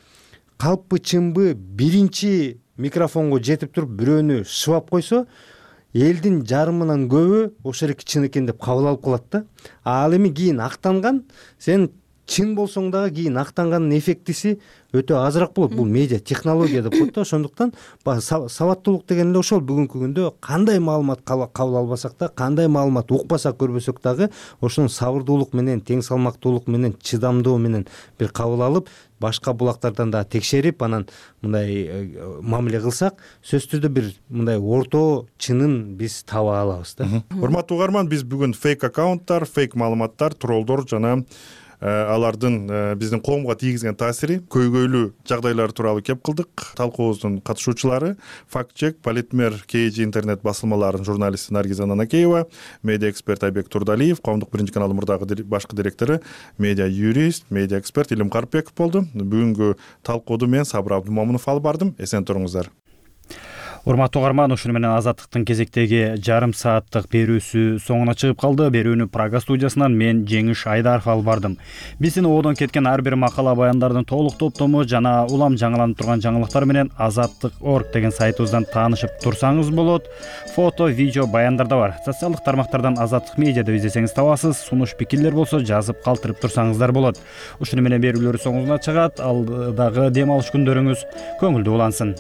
калппы чынбы биринчи микрофонго жетип туруп бирөөнү шыбап койсо, элдин жарымынан көбү ошол эки чын экен деп кабыл алып калат да. Ал эми кийин актанган, сен чын болсоң дагы кийин актанганын эффектиси өтө азыраак болот. Бул медиа технология деп коет да. Ошондуктан сабаттуулук деген эле ошол. Бүгүнкү күндө кандай маалымат кабыл албасак да, кандай маалымат укпасак, көрбөсөк дагы ошону сабырдуулук менен, тең салмактуулук менен, чыдамдуу менен бир кабыл алып, башка булактардан да текшерип, анан мындай мамиле кылсак, сөзсүз түрдө бир мындай орто чынын биз таба алабыз да. Урматтуу угарман, биз бүгүн фейк аккаунттар, фейк маалыматтар, троллдор жана алардын биздин коомго тийгизген таасири, көйгөйлүү жагдайлар тууралуу кеп кылдык. Талкуубуздун катышуучулары факт-чек Политмер кей жи интернет басылмаларынын журналисти Наргиза Нанакеева, медиа эксперт Айбек Турдалиев, коомдук биринчи канал мурдагы башкы директору, медиа юрист, медиа эксперт Илим Карпбеков болду. Бүгүнкү талкууду мен Сабыр Абдымомунов алып бардым. Эсен туруңуздар. Урматтуу угарман, ушуну менен Азаттыктын кезектеги жарым сааттык берүүсү соңуна чыгып калды. Берүүнү Прага студиясынан мен Жеңиш Айдаров алып бардым. Биздин ободон кеткен ар бир макала баяндардын толук топтому жана улам жаңыланып турган жаңылыктар менен азаттык точка орг деген сайтыбыздан таанышып турсаңыз болот. Фото, видео баяндар да бар. Социалдык тармактардан Азаттык медиа деп издесеңиз табасыз. Сунуш пикирлер болсо жазып калтырып турсаңыздар болот. Ушуну менен берүүлөр соңуна чыгат. Алдагы дем алыш күндөрүңүз көңүлдүү улансын.